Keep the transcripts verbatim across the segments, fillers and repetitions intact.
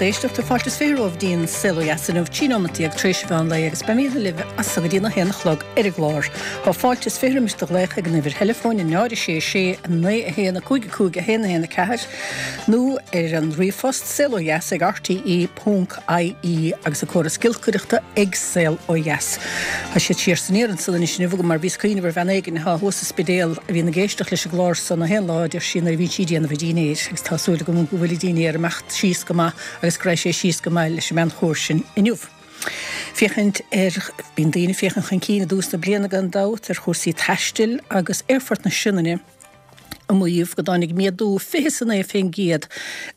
éisteachta fáilte is fiche romhaibh dtí'n Saol Ó Dheas inniu trí nóiméad déag tar éis an mheán lae agus beimid libh as so go dtí a haon a chlog ar an gclár. Tá fáilte is fiche roimis do ghlaoch ag an uimhir theileafóin a náid sé sé naoi a haon a cúig a cúig a haon a haon a ceathair nó ar an ríomhphost saol ó dheas ag RTE ponc IE agus an córas giolcaireachta ag Saol Ó Dheas. Tá siad siar san iar ansan anois inniu agam mar bhíos ag cuimhneamh ar bhean éigin atá thuas sa Spidéal a bhíonn ag éisteacht leis an gclár san gach aon lá deir sí nuair a bhíonn sí ag déanamh a dinnéir agus tá súil agam go bhfuil a dinnéar ag imeacht síos go maith agus go raibh sé síos go maith leis an mbean chóir sin inniu. Féachaint ar bíonn daoine féachaint chun cinn i dtús na bliana gan dabht ar chúrsaí taistil agus Aerfort na Sionainne ag maíomh go dtáinig méadú fiche is a naoi faoin gcéad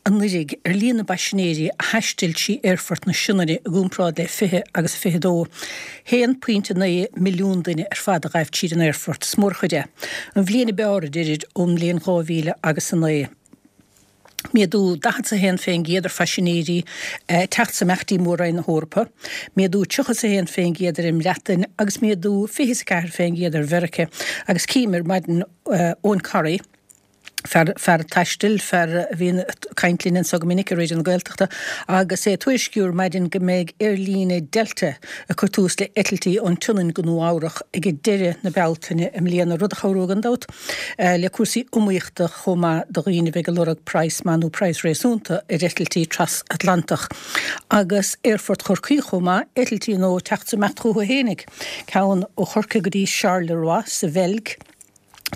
anuraidh ar líon na bpaisinéirí a thaistil trí Aerfort na Sionainne i gcomparáid le fiche agus a fiche dó. haon pointe naoi milliún duine ar fad a ghaibh tríd an aerfort, is mór an chuid é. An bhliain ab fhearr a deirid ón mbliain dhá mhíle agus a naoi. Méadú daichead is a haon faoin gcéad ar phaisinéirí teacht is imeacht dtí Mór-Roinn na hEorpa, méadú tríocha is a haon faoin gcéad ar an mBreatain agus méadú fiche is a ceathair faoin gcéad ar Mheiriceá. Agus cím ar maidin Eoin Corry, fear fear taistil, fear a bhíonn ag caint linn anseo go minic ar Raidió na Gaeltachta, agus é ag tuairisciú ar maidin go mbeidh aerlíne Delta ag cur tús le eitiltí ón tSionainn go Nua Eabhrach ag deireadh na Bealtaine i mbliana, rud a chabhróidh gan dabht le cúrsaí iomaíochta chomh maith do dhaoine a bheidh ag lorg praghas maith nó praghas réasúnta ar eitiltí tras-Atlantach. Agus Aerfort Chorcaí chomh maith, eitiltí nua ag teacht is ag imeacht chucu fhéinig, ceann ó Chorcaigh go dtí Charleroi sa Bheilg,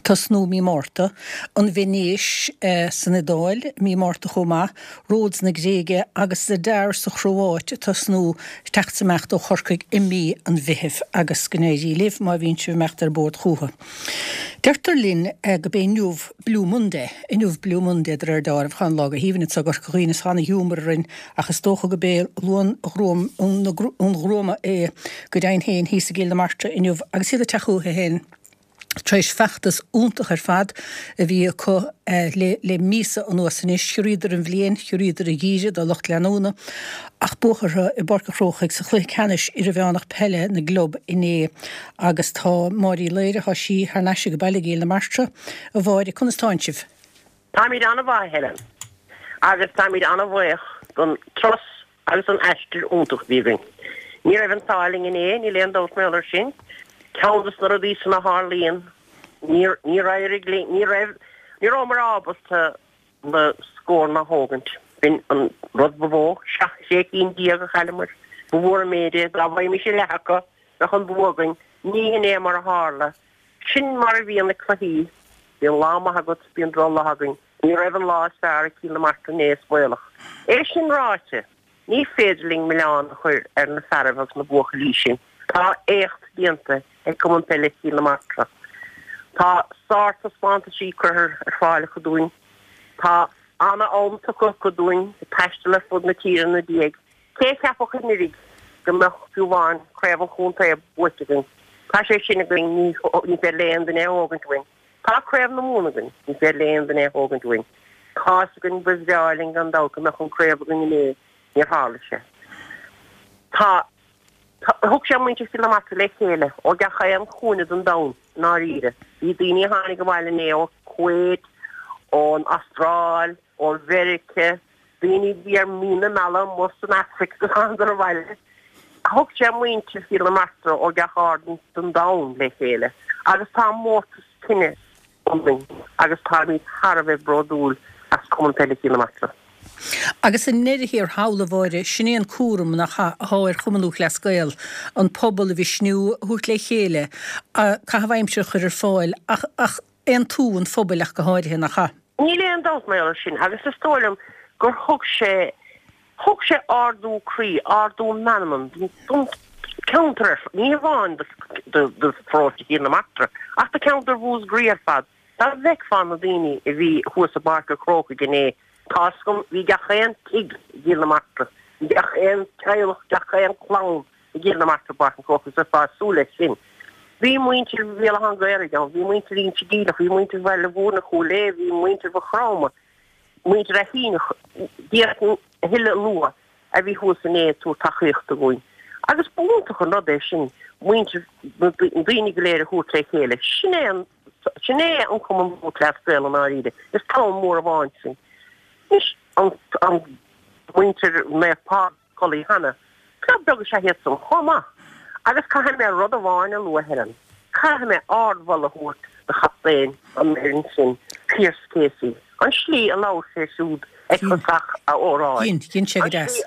tosnú mí Márta, an Veinéis san Iodáil mí Márta chomh maith, Rhodes na Gréige agus Zadar sa Chróáit ag tosnú teacht is imeacht ó Chorcaigh i mí an Mheithimh agus go n-éirí libh má bhíonn sibh ag imeacht ar bord chucu. Deirtear linn go b'é inniu Blue Monday, inniu Blue Monday de réir dealraimh, tá an lá go haoibhinn anseo i gCorca Dhuibhne is tá ana-ghiúmar orainn ach is dócha go b'é Luan an Ghruama é go deimhin féin thíos i gCill na Martra inniu agus iad ag teacht chucu féin. Tar éis feachtas iontach ar fad a bhí acu le míosa anuas anois, chiorraíodar an bhliain, chiorraíodar an geimhreadh dá lucht leanúna ach buadh orthu i bPáirc an Chrócaigh sa chluiche ceannais idirmheánach peile na gclub inné agus tá Máire Uí Laoire, tá sí thar n-ais ag baile i gCill na Martra. A Mháire, conas tánn sibh? Táimid an-mhaith, a Helen, agus táimid an-bhuíoch don turas agus an aistear iontach a bhí againn. Ní raibh an t-ádh linn inné, níl aon dabht mar gheall air sin. Ceann de na rudaí san a tharlaíonn, níor, níor éirigh linn, ní raibh, ní rabhamar ábalta na scóranna a thógaint. B'in an rud ba mhó, seacht, sé cinn déag a chailleamar. Ba mhór an méid é, dá bhfaighimis a leath acu, bheadh an bua againn. Ní hin é mar a tharla. Sin mar a bhíonn na cluichí, bíonn lá maith agat, bíonn drochlá againn. Ní raibh an lá is fearr ag Cill na Martra inné, is baolach. É sin ráite, ní féidir linn milleán a chur ar na fearaibh agus na buachaillí sin. Tá éacht déanta ag Cumann Peile Chill na Martra. Tá sártaispeántaisí curtha ar fáil acu dúinn. Tá ana-am tugtha acu dúinn ag taisteal ar fud na tíre ina diaidh. Cé a cheapfadh anuraidh go mbeadh fiú amháin craobh an chontae buaite againn? Tá sé sin againn, ní féidir le aon duine é a thógaint uainn. Tá Craobh na Mumhan againn, ní féidir le aon duine é a thógaint uainn. Tá's againn, ba bhreá linn gan dabht go mbeadh an craobh againn inné, níor tharla sé. Tá, tá, thug sé muintir Chill na Martra le chéile ó gach aon chúinne den domhan, i ndáiríre. Bhí daoine a tháinig abhaile inné ó Kuwait, ón Astráil, ó Mheirice, daoine a bhí ar mí na meala amuigh san Afraic agus thángadar abhaile. Thug sé muintir Chill na Martra ó gach aird den domhan le chéile agus tá mórtas cine ionainn agus táimid thar a bheith bródúil as Cumann Peile Chill na Martra. Agus i ndeireadh thiar thall, a Mháire, sin é an cúram, nach ea, atá ar Chumann Lúthchleas Gael, an pobal a mhisniú, a thabhairt le chéile, caitheamh aimsire a chur ar fáil, ach, ach aontú an phobail ach go háirithe, nach ea? Níl aon dabht mar gheall air sin agus is dóigh liom gur thug sé, thug sé ardú croí, ardú meanman don cheantar ar fad, ní hamháin do pharóiste Chill na Martra ach do cheantar Mhúscraí ar fad. Dá bhfeicfeá na daoine a bhí thuas i bPáirc an Chrócaigh inné, tá's agam, bhí gach aon tigh i gCill na Martra, bhí gach aon teaghlach, gach aon chlann i gCill na Martra i bPáirc an Chrócaigh, is bheifeá ag súil leis sin. Bhí muintir Bhéal Átha an Ghaorthaidh ann, bhí muintir Inse Geimhleach, bhí muintir Bhaile Mhúirne, Chúil Aodha, bhí muintir Mhaigh Chromtha, muintir Ath Fíonach, d'fhéadfainn a thuilleadh a lua, a bhí thuas inné ag tabhairt tacaíochta dhúinn. Agus b'iontach an rud é sin, muintir, na daoine go léir a thabhairt le chéile. Sin é an, sin é an Cumann Lúthchleas Gael i ndáiríre. Is clann mhór amháin sinn. Anois, an, an. Muintir Naomh Pádraig codlaithe cheana. Club beag is ea iad san chomh maith. Agus caithfidh mé rud amháin a lua, Helen. Caithfidh mé ardmholadh a thabhairt do chaptaen an fhoireann sin, Pearse Casey. An slí a labhair sé siúd ag tosach a óráid. Dhein, dhein sé go deas.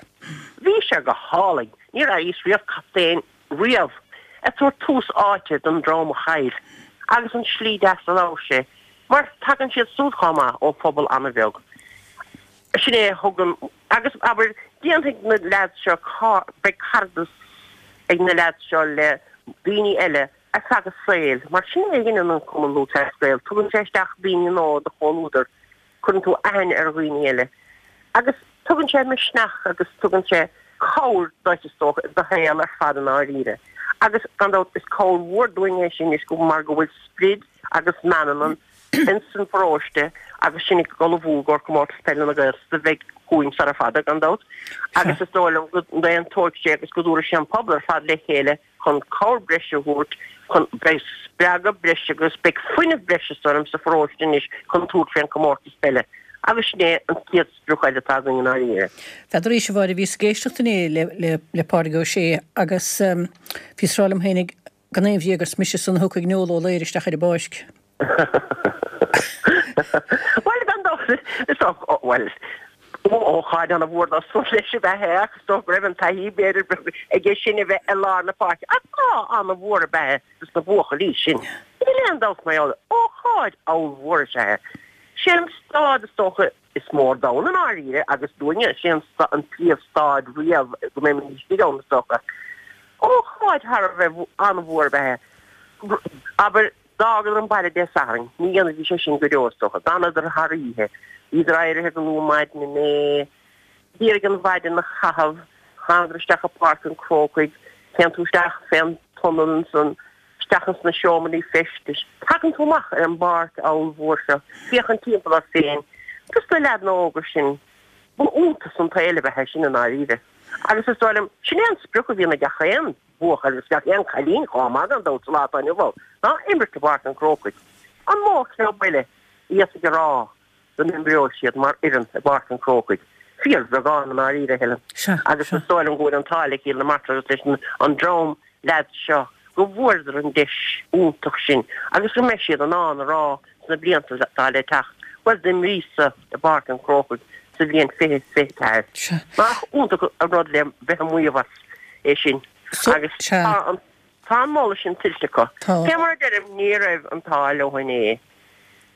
Bhí sé go hálainn. Ní raibh riamh captaen riamh ag tabhairt tús áite don dream a chaill. Agus an slí deas a labhair sé, mar tagann siad súd chomh maith ó phobal an-bheag. Sin é a thugann, agus abair, déanfaidh na leaids seo, beidh cairdeas ag na leaids seo le daoine eile ar feadh a saoil, mar sin é a dhéanann an Cumann Lúthchleas Gael, tugann sé isteach daoine nua i do chomhluadar, cuireann tú aithne ar dhaoine eile agus tugann sé misneach agus tugann sé cabhair duit is dócha i do shaol ar fad i ndáiríre. Agus gan dabht is cabhair mhór dúinn é sin anois mar go bhfuil sprid agus meanman ins an pharóiste agus sinn ag ullmhú i gcomhair Comórtas Peile na Gaeltachta a bheidh chugainn sara fada gan dabht agus is dóigh liom go n-aontóidh sé agus go dtabharfaidh sé an pobal ar fad le chéile chun cabhair breise a thabhairt chun beidh spreagadh breise agus beidh fuinneamh breise is dóigh liom sa pharóiste anois chun tabhairt faoin comórtas peile agus sin é an chéad sprioc eile atá againn i ndáiríre. N'fheadar arís a Mháire, bhíos ag éisteacht inné le le le Pádraig Ó Sé agus bhíos ag rá liom féinig gan aon bhréag gur mise san a thiocfaidh Noel Ó Laoire isteach ar an bpáirc. Bhuel, gan dabht, is dócha, bhuel, ócáid an-mhór dó san leis ab ea é ach is dócha go raibh an taithí b'fhéidir aige sin a bheith i lár na páirce ach lá an-mhór ab ea é dos na buachaillí sin. Níl aon dabht mar gheall air. Ócáid ollmhór is ea é. Sé an staid is dócha is mó ar domhan i ndáiríre agus dúinne, sé an an príomhstaid riamh go mbeimid istigh ann is dócha. Ócáid thar a bheith an-mhór ab ea é. Abair, d'fhágadar an baile Dé Sathairn, ní dhéanfaidís é sin go deo is dócha, d'fhanadar thar oíche, bhíodar éirithe go luath maidin inné, d'iarraidh an mhaidin a chaitheamh, thángadar isteach i bPáirc an Chrócaigh, téann tú isteach fén tunnel ansan, isteach ins na seomraí feistis, tagann tú amach ar an bpáirc ollmhór seo, féachaint timpeall ort féin, dos na leaideanna óga sin, ba iontas an tsaoil ab ea é sin i ndáiríre. Agus is dóigh liom, sin é an sprioc a bhíonn ag gach aon. buachaill agus gach aon chailín chomh maith gan dabht sa lá atá inniu ann ná imirt i bPáirc an Chrócaigh. An mó club eile a d'fhéadfadh a rá go n-imreoidh siad mar fhoireann i bPáirc an Chrócaigh? Fíorbheagán i ndáiríre, a Helen. Sea, Agus sea. is dóigh liom go bhfuil an t-ádh le Cill na Martra agus leis an dream leaids seo go bhfuaireadar an deis iontach sin agus go mbeidh siad in ann a rá sna blianta atá le teacht, bhuel d'imríos-sa i bPáirc an Chrócaigh sa bhliain fiche fiche ceathair. Sea. Nach iontach an rud le bheith ag maíomh as é sin. So, Agus sea. tá an tá an moladh sin tuillte acu. Tá. Fé mar a deirim, ní raibh an t-ádh leo inné.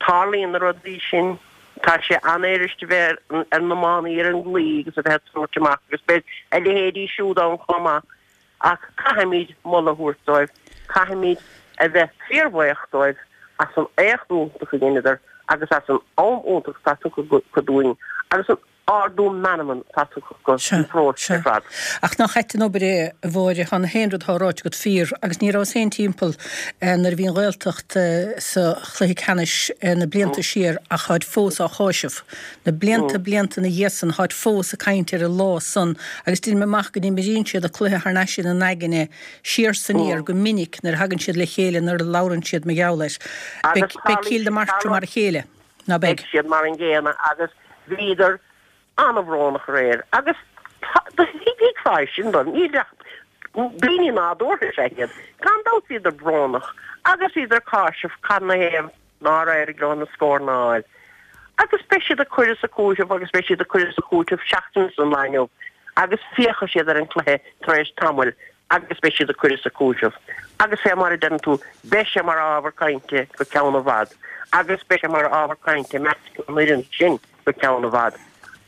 Tarlaíonn na rudaí sin. Tá sé an-fhuirist a bheith ar ar na mánaí ar an gclaí agus a bheith ag tabhairt amach agus beidh a leithéidí siúd ann chomh maith. Ach caithfimid moladh a thabhairt dóibh, caithfimid a bheith fíorbhuíoch dóibh as an éacht iontach a dheineadar agus as an am iontach atá tugtha acu dúinn agus an ardú meanman atá tugtha acu Sea, don pharóiste sea. ar fad. Ach nach ait an obair é, a Mháire, tá na haon rud atá ráite agat fíor agus ní rabhas féin timpeall nuair a bhí an Ghaeltacht sa chluiche ceannais na blianta siar ach táid fós á cháiseamh. Na blianta, blianta ina dhiaidh san, táid fós ag caint ar an lá san agus deinim amach go n-imríonn siad an cluiche thar n-ais ina n-aigne siar 's aniar go minic nuair a thagann siad le chéile nuair a labhrann siad mar gheall air. Agus Beidh, beidh Cill na Martra mar a chéile, ná beidh? Beidh siad mar an gcéanna agus bhíodar an-bhrónach aréir agus thuigfeá é sin dóibh, níl ach daoine nádúrtha is ea iad. Gan dabht bhíodar brónach agus bhíodar ag cáiseamh cad 'na thaobh nár éirigh leo na scóranna a fháil. Agus beidh siad ag cur is ag cúiteamh agus beidh siad ag cur is ag cúiteamh seachtain ón lá inniu agus féachfaidh siad ar an cluiche tar éis tamaill agus beidh siad ag cur is ag cúiteamh. Agus fé mar a deireann tú, beidh sé mar ábhar cainte go ceann i bhfad agus beidh sé mar ábhar cainte i measc an fhoireann sin go ceann i bhfad.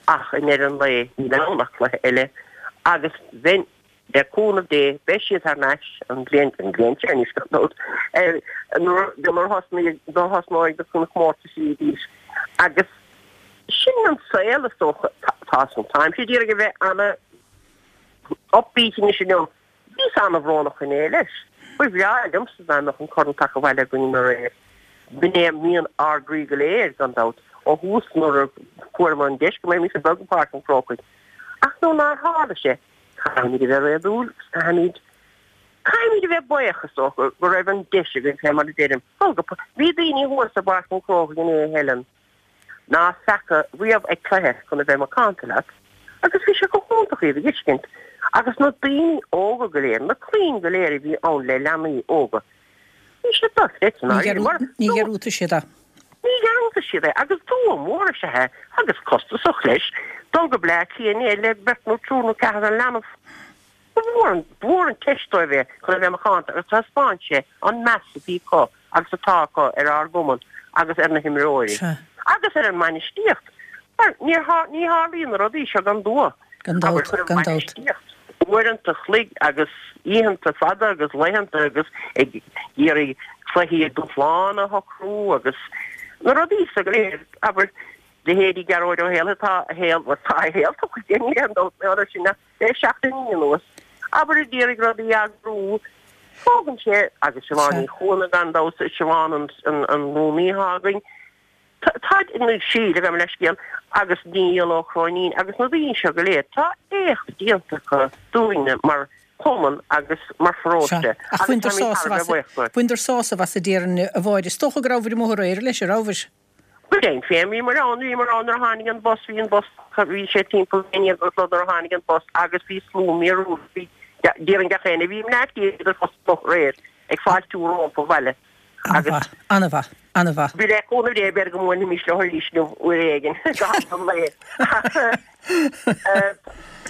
Ach i ndeireadh an lae, níl ann ach cluiche eile agus bheinn, le cúnamh Dé, beidh siad thar n-ais an bhliain, an bhliain seo anois gan dabht, nuair a thosnóidh na comórtaisí arís. Agus sin an saol is dócha. Tá, táimse d'iarraidh a bheith ana upbeat anois inniu. Bhíos an-bhrónach inné leis. Ba bhreá liomsa dá mbeadh an corn tagtha abhaile againn aréir. B'in é mian ár gcroí go léir, gan dabht, ó thús nuair a fuaireamar an deis go mbeimis ag dul go Páirc an Chrócaigh. Ach nuair nár tharla sé, caithfimid a bheith réadúil agus caithfimid, caithfimid a bheith buíoch, is dócha, go raibh an deis againn, fé mar a deirim, dul go Bhí daoine thuas i bPáirc an Chrócaigh inné, a Helen, ná feaca riamh ag cluiche, chun a bheith macánta leat, Agus bhí sé go hiontach iad a fheiscint. Agus na daoine óga go léir, na clainn go léir a bhí ann le leanaí óga, bhí siad dochreidte, ndáiríre, mar Ní dhearúdfaidh siad é. Ní dhearúdfaidh siad é. Agus dua mór is ea é, agus costasach leis, dul go Bleá Cliath inné le beirt nó triúr nó ceathrar leanbh. Ba mhór an, ba mhór an teist dóibh é chun a bheith macánta agus thaispeáin sé an meas a bhí acu agus atá acu ar ár gcumann agus ar na himreoirí Sea. agus ar an mbainistíocht. Mar níor thar, ní tharlaíonn na rudaí seo gan dua. Gan Abair, dabht, chuir an gan dabht. bhainistíocht uaireanta an chloig agus oícheanta fada agus laethanta agus ag iarraidh cluichí dúshláin a shocrú agus na rudaí so go léir, abair, leithéidí Gearóid Ó Héalaithe, tá a shaol, bhuel, tá a shaol tugtha aige, níl aon dabht mar gheall air sin ach le seachtainí anuas, abair, ag iarraidh rudaí a eagrú, tógann sé, agus Siobhán Ní Chuana gan dabht, Siobhán an, an, an rúnaí atá againn, tá, nó Síle, gabh mo leithscéal, agus Niall Ó Cróinín agus na daoine seo go léir, tá éacht déanta acu dúinne mar chumann agus mar pharóiste Sea, ach agus bhaineadar táimid thar sásamh a as, bheith buíoch dóibh. bhaineadar sásamh as a déarfainn, a Mháire. Is dócha go rabhabhair amuigh aréir leis, an rabhabhair? Go deimhin féin, bhíomar ann, bhíomar ann nuair a tháinig an bus, bhí an bus, bhí sé timpeall a haon déag a chlog nuair a tháinig an bus agus bhí slua míorúilteach, bhí, déarfainn gach éinne, bhí mná tí idir bus aréir ag fáiltiú rompu abhaile agus. An-mhaith, an-mhaith, an-mhaith. Bhí le cúnamh Dé b'fhéidir go mbuailfimis leo arís inniu uair éigin go ham an lae.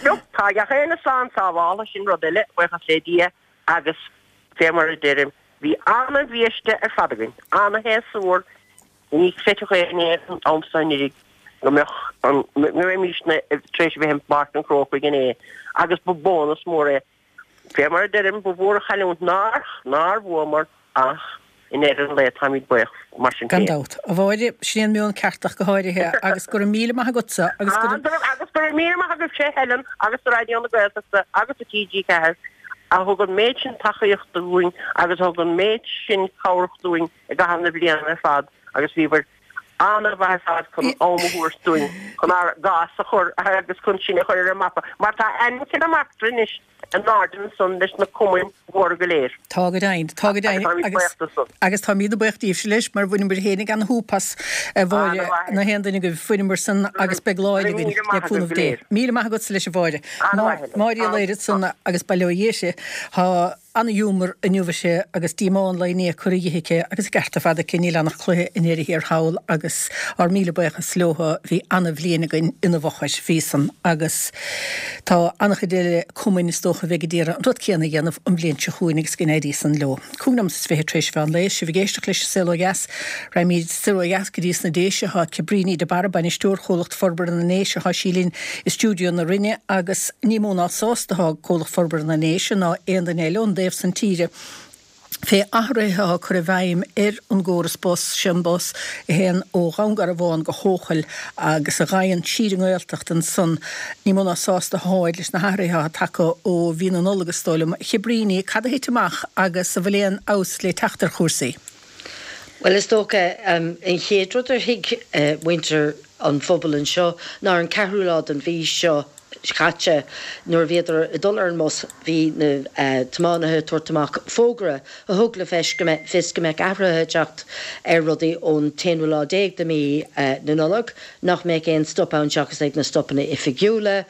Look, tá gach éinne slán sábháltha, sin rud eile, buíochas le Dia, agus fé mar a deirim, bhí ana-bhiaiste ar fad againn, ana-shéasúr, ní chreidfeadh éinne an t-am so anuraidh go mbeadh an, go mbeimisne tar éis a bheith i bPáirc an Chrócaigh inné agus ba bónas mór é. Fé mar a deirim, ba mhór an chailliúint nár, nár bhuamar ach i ndeireadh an lae táimid buíoch mar sin Gan féin. dabht. A Mháire, sin é an meon ceart ach go háirithe agus go raibh míle maith agatsa agus go raibh. Agus go raibh míle maith agaibhse Helen agus do Raidió na Gaeltachta agus do T G ceathair a thug an méid sin tacaíochta dúinn agus a thug an méid sin cabhrach dúinn i gcaitheamh na bliana ar fad agus bhíobhair an-mhaith ar fad chun am a thabhairt dúinn chun ár gcás a chur agus chun sinn a chur ar an mapa mar tá ainm Chill na Martra anois in airde ansan leis na cumainn mhóra go léir. Tá go deimhin, tá go Agus deimhin táimid agus buíoch de san. agus táimid buíoch díbhse leis mar bhaineamar féinig an-shúp as, a Mháire, An-mhaith. na haon duine agaibh, bhaineamar san agus beidh lá Go eile raibh againn míle le maith agaibh cúnamh go Dé. léir. Míle maith agatsa leis a Mháire. An-mhaith, Helen. Máire Uí Laoire ansan agus bail ó Dhia uirthi. Tá ana-ghiúmar inniu aici agus díomá an lae inné curtha dhi aici agus an ceart ar fad aici, níl ann ach cluiche i ndeireadh thiar thall agus ár míle buíochas leo, bhí ana-bhliain againn ina bhfochair, bhí san agus tá ana-chuid eile cumainn is dócha a bheidh ag iarraidh an rud céanna a dhéanamh an bhliain seo chugainn agus go n-éirí san leo. Cúig nóiméad is fiche tar éis mheán lae, sibh ag éisteacht leis an Saol Ó Dheas. Raghaimid soir ó dheas go dtí sna Déise, tá Cabríní de Barra, Bainisteoir Chomhlacht Forbartha na nDéise, tá sí linn i stiúideo na Rinne agus ní mó ná sásta atá Comhlacht Forbartha na nDéise ná aon duine eile ón dtaobh san tíre fé athruithe atá curtha i bhfeidhm ar an gcóras bus, sin bus a théann ó Dhún Garbhán go hEochaill agus a ghabhann siar an nGaeltacht ansan. Ní mó ná sásta atáid leis na hathruithe atá tagtha ó mhí na Nollag is dóigh liom. A Chabríní, cad a thit amach agus an bhfuil aon fheabhas le teacht ar chúrsaí? Bhuel, is dócha, an chéad rud ar thuig muintir an phobail anseo ná ar an ceathrú lá den mhí seo caite nuair a bhíodar ag dul ar an mbus bhí na tiománaithe ag tabhairt amach fógra a thug le fios go mbeadh fios go mbeadh athruithe ag teacht ar rudaí ón t-aonú lá déag de mhí na Nollag, nach mbeadh aon stop ann seachas ag na stopanna oifigiúla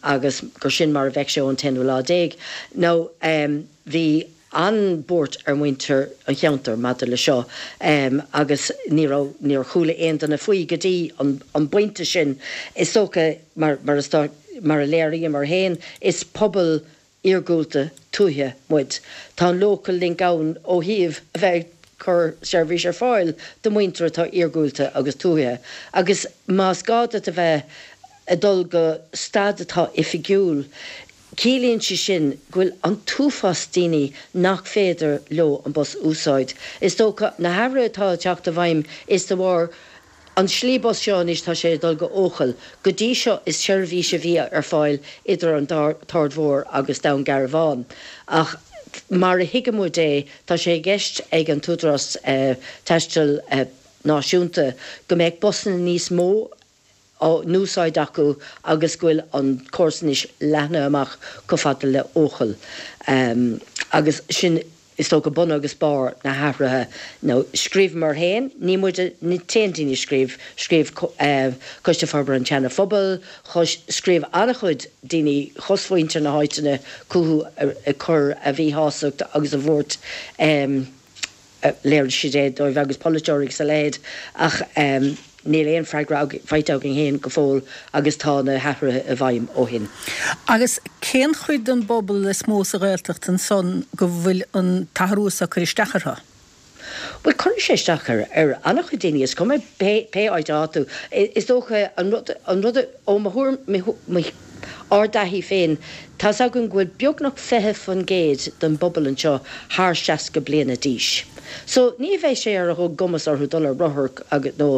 agus gur sin mar a bheadh sé ón t-aonú lá déag. Now bhí an-bhuairt ar mhuintir an cheantair maidir le seo agus ní raibh, níor chuala aon duine faoi go dtí an pointe sin. Is dócha, mar, mar is, mar a léiríomar féin, is pobal iargúlta tuaithe muid. Tá an Local Link ann ó thaobh a bheith ag cur seirbhís ar fáil do mhuintir atá iargúlta agus tuaithe agus más gá duit a bheith ag dul go stad atá oifigiúil, Ciallaíonn sé sin go bhfuil an t-uafás daoine nach féidir leo an bus a úsáid. Is dócha, na hathruithe atá ag teacht i bhfeidhm is de bharr an slí bus seo anois tá sé ag dul go Eochaill. Go dtí seo is seirbhís a bhí ar fáil idir an tArd Mhór agus Dún Garbhán. Ach mar a thuigeann muid é tá sé i gceist ag an tÚdarás Taistil Náisiúnta go mbeadh busanna níos mó á n-úsáid acu agus go bhfuil an córas anois leathnaithe amach chomh fada le Eochaill agus sin is dócha bun agus barr na hathruithe nó scríobhamar féin, ní muid an t-aon duine a scríobh, scríobh Coiste Forbartha an tSeana Phobail, scríobh an-chuid daoine chosmhuintir na háiteanna chucu ag cur a mhíshástacht agus a bhuairt. Léirigh siad é dóibh agus polaiteoirí agus a leithéid ach níl aon freagra faighte againn féin go fóill agus tá na hathruithe i bhfeidhm ó shin. Agus cén chuid den bpobal is mó sa Ghaeltacht ansan go bhfuil an t-athrú seo ag cur isteach orthu? Bhuel, cuireann sé isteach ar ar an-chuid daoine, is cuma pé pé áit atá tú. Is dócha an rud an rud ó mo thuairim mo ár dtaithí féin, tá's againn go bhfuil beagnach fiche faoin gcéad den bpobal anseo thar seasca bliana d'aois. So ní bheidh sé ar a gcumas orthu dul ar rothar agus nó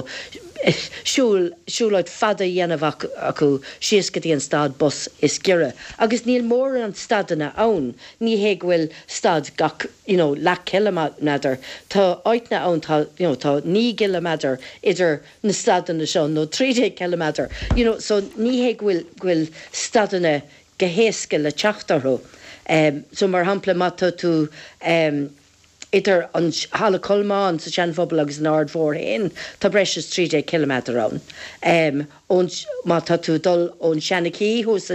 siúl siúlóid fada a dhéanamh acu síos go dtí an stad bus is giorra. Agus níl mórán stadanna ann, ní hé go bhfuil stad gach you know leath ciliméadar, tá áiteanna ann tá you know tá naoi gciliméadar idir na stadanna seo nó trí déag ciliméadar you know so ní hé go bhfuil go bhfuil stadanna go héasca le teacht orthu. So mar shampla má tá tú idir an Halla Cholmáin sa Seanphobal agus an Aird Mhór féin tá breis is trí déag ciliméadar ann. Ón, má tá tú ag dul ón Seanachí thuas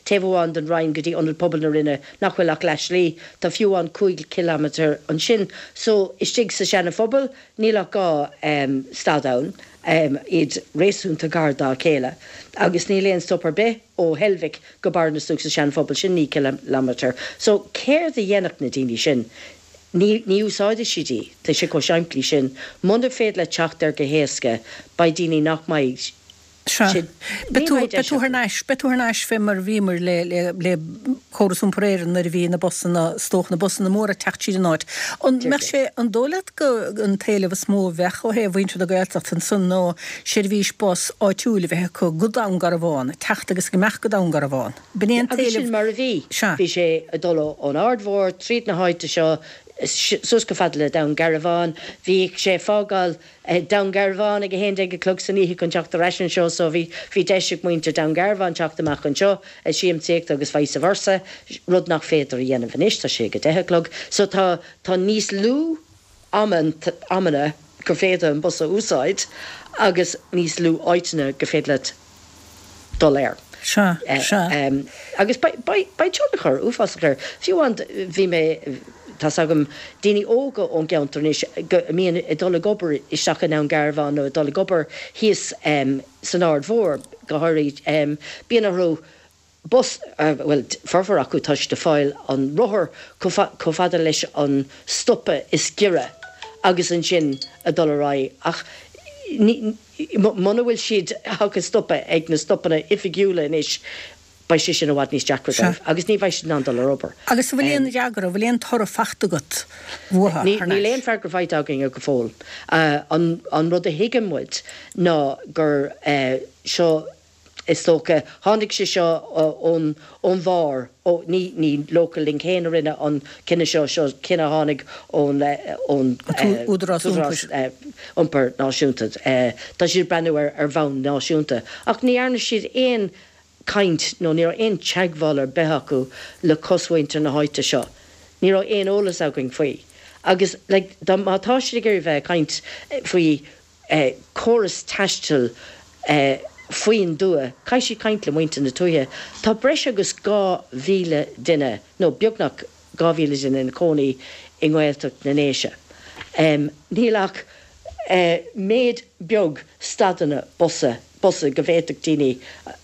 taobh amháin den Rinn go dtí Ionad Pobail na Rinne nach bhfuil ach leath slí, tá fiú amháin cúig ciliméadar ansin. So istigh sa Seanaphobal níl ach dhá stad ann. iad réasúnta gar dá chéile, agus níl aon stop ar bith ó Heilbhic go Barra na Stúc sa Seanphobal, sin naoi gciliméadar. So, céard a dhéanfadh na daoine sin? Ní, ní úsáidfidh siad í. Tá sé chomh simplí sin. Muna féidir leat teacht air go héasca, beidh daoine nach mbeidh Sea. Beidh tú, beidh tú thar n-ais, beidh tú thar n-ais fé mar a bhíomar le, le, le Córas Iompair Éireann nuair a bhí na busanna, is dócha, na busanna móra ag teacht tríd an áit. An mbeadh sé, an dóigh leat go, an t-éileamh is mó a bheadh ó thaobh mhuintir na Gaeltachta ansan ná seirbhís bus áitiúil a bheith acu go Dún Garbhán, ag teacht agus ag imeacht go Dún Garbhán. B'in é an Agus t-éileamh. sin mar a bhí. Sea. Bhí sé ag dul ón Aird Mhór tríd na háite seo suas chomh fada le Dún Garbhán. Bhíodh sé ag fágáil Dún Garbhán ag a haon déag a chlog san oíche chun teacht ar ais anseo so bhí bhí deis ag muintir Dún Garbhán teacht amach anseo ag siamsaíocht agus vice versa, rud nach féidir a dhéanamh anois, tá sé ag a deich a chlog. So tá tá níos lú amanna gur féidir an bus a úsáid agus níos lú áiteanna gur féidir leat dul air. Sea, sea. Agus beidh tionchar uafásach air. Fiú amháin bhí mé, tá's agam, daoine óga ón gceantar anois go a mbíonn ag dul ag obair isteach i nDún Garbhán nó ag dul ag obair thíos san Aird Mhór go háirid, bíonn orthu bus, bhuel, formhór acu tá siad ag fáil an rothar chomh fada leis an stopa is giorra agus ansin ag dul ar aghaidh ach ní, muna bhfuil siad ag stopadh ag na stopanna oifigiúla anois beidh sé sin i bhfad níos deacra Sea. dóibh agus ní bheidh siad in ann dul ar obair. Agus an bhfuil aon fhreagra, an bhfuil aon toradh fachta agat uathu Ní, thar níl n-ais? aon freagra faighte againn go fóill. An, an rud a thuigeann muid ná gur seo Is dócha, tháinig sé seo ón ón bharr, ó, ní ní Local Link féin a rinne an cinneadh seo, seo cinneadh a tháinig ón ón Údarás Údarás Iompair Náisiúnta. Tá siad ag breathnú ar ar bhonn náisiúnta. Ach ní dhearna siad aon caint nó ní raibh aon teagmháil ar bith acu le cosmhuintir na háite seo. Ní raibh aon eolas againn faoi. Agus like dá má tá siad ag iarraidh bheith ag caint faoi córas taistil faoin dtuath, caithfidh siad caint le muintir na tuaithe. Tá breis agus dhá mhíle duine, nó beagnach dhá mhíle duine ina cónaí i nGaeltacht na nDéise. Níl ach méid beag stadanna busa, busa go bhféadfadh daoine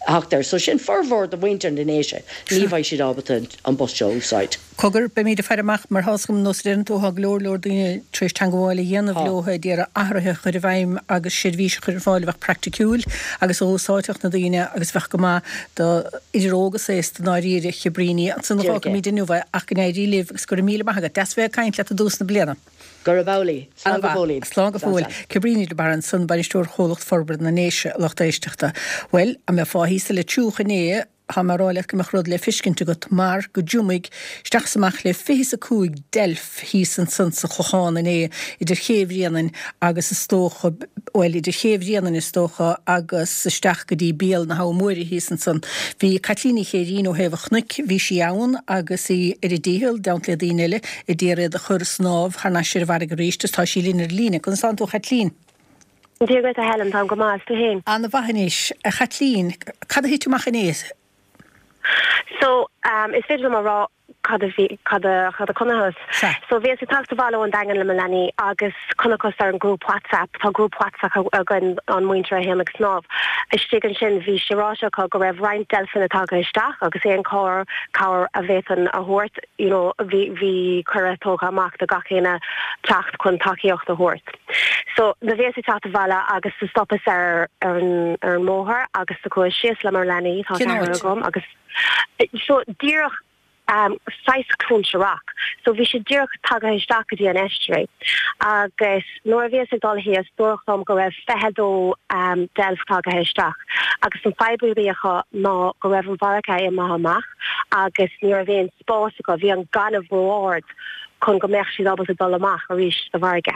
theacht air. So sin formhór de mhuintir na nDéise, ní bheidh siad ábalta an bus seo a úsáid. Cogar, beimid ag faire amach, mar tá's agam, nós a deireann tú, tá go leor leor daoine tar éis teangmháil a dhéanamh Tá. leo ag iarraidh athruithe a chur i bhfeidhm agus seirbhís a chur ar fáil a bheadh praiticiúil agus a dh'úsáidfeadh na daoine agus a bheadh go maith do idir óg is aosta i ndáiríre, a Chabríní. Ansan a Díreach é. fágfaimid inniu é ach go n-éirí libh agus go raibh míle maith agat. Deas bheith ag caint leat i dtús na bliana. Gurab amhlaidh. Slán go An-mhaith. fóillín. Slán go Slán, fóill. slán. Cabríní de Barra ansan, Bainisteoir Chomhlacht Forbartha na nDéise, a lucht éisteachta. Bhuel, an mbeifeá thíos sa Leitriúch inné? Tá mé a rá leat go mbeadh rud le feiscint agat mar go dtiomfaidh isteach is amach le fiche is a cúig deilf thíos ansan sa Chlochán inné, idir Ché Bhréanainn agus is dócha, bhuel, idir Ché Bhréanainn is dócha agus isteach go dtí béal na hAbha Móire thíos ansan. Bhí Caitlín Ní Chéirín ó Thaobh an Chnoic, bhí sí ann agus í ar a dícheall, i dteannta le daoine eile, a d'iarraidh iad a chur snámh thar n-ais ar an bhfarraige arís is tá sí linn ar an líne. Conas tánn tú a Chaitlín? Dia dhuit a Helen, táim go maith, is tú fhéin? Ana-mhaith anois. A Chaitlín, cad a thit amach inné? So, um, is féidir liom a rá cad a bhí, cad a, cad a chonacthas. Sea. So, bhíos ag teacht abhaile ón Daingean le mo leanaí agus chonacthas ar an grúp WhatsApp, tá grúp WhatsApp againn, an muintir a théann ag snámh, istigh ansin bhí sé ráite acu go raibh roinnt deilfeanna tagtha isteach agus aon cabhair, cabhair a bhféadfainn a thabhairt, you know, bhí, bhí cuireadh tugtha amach do gach éinne teacht chun tacaíocht a thabhairt. So, do bhíos ag teacht abhaile agus do stopas ar ar an ar an mbóthar agus do chuas síos le mo leanaí, tá Cén ceathrar áit? agam, agus so díreach um saghas Cluainte Rock. So bhí sé díreach tagaithe isteach go dtí an estuary agus nuair a bhíos ag dul thíos dúradh liom go raibh fiche dó um deilf tagaithe isteach agus an fadhb a bhí acu ná go raibh an bhfarraige imithe amach agus ní raibh aon spás acu, bhí an gaineamh ró-ard chun go mbeadh siad ábalta dul amach arís sa bhfarraige.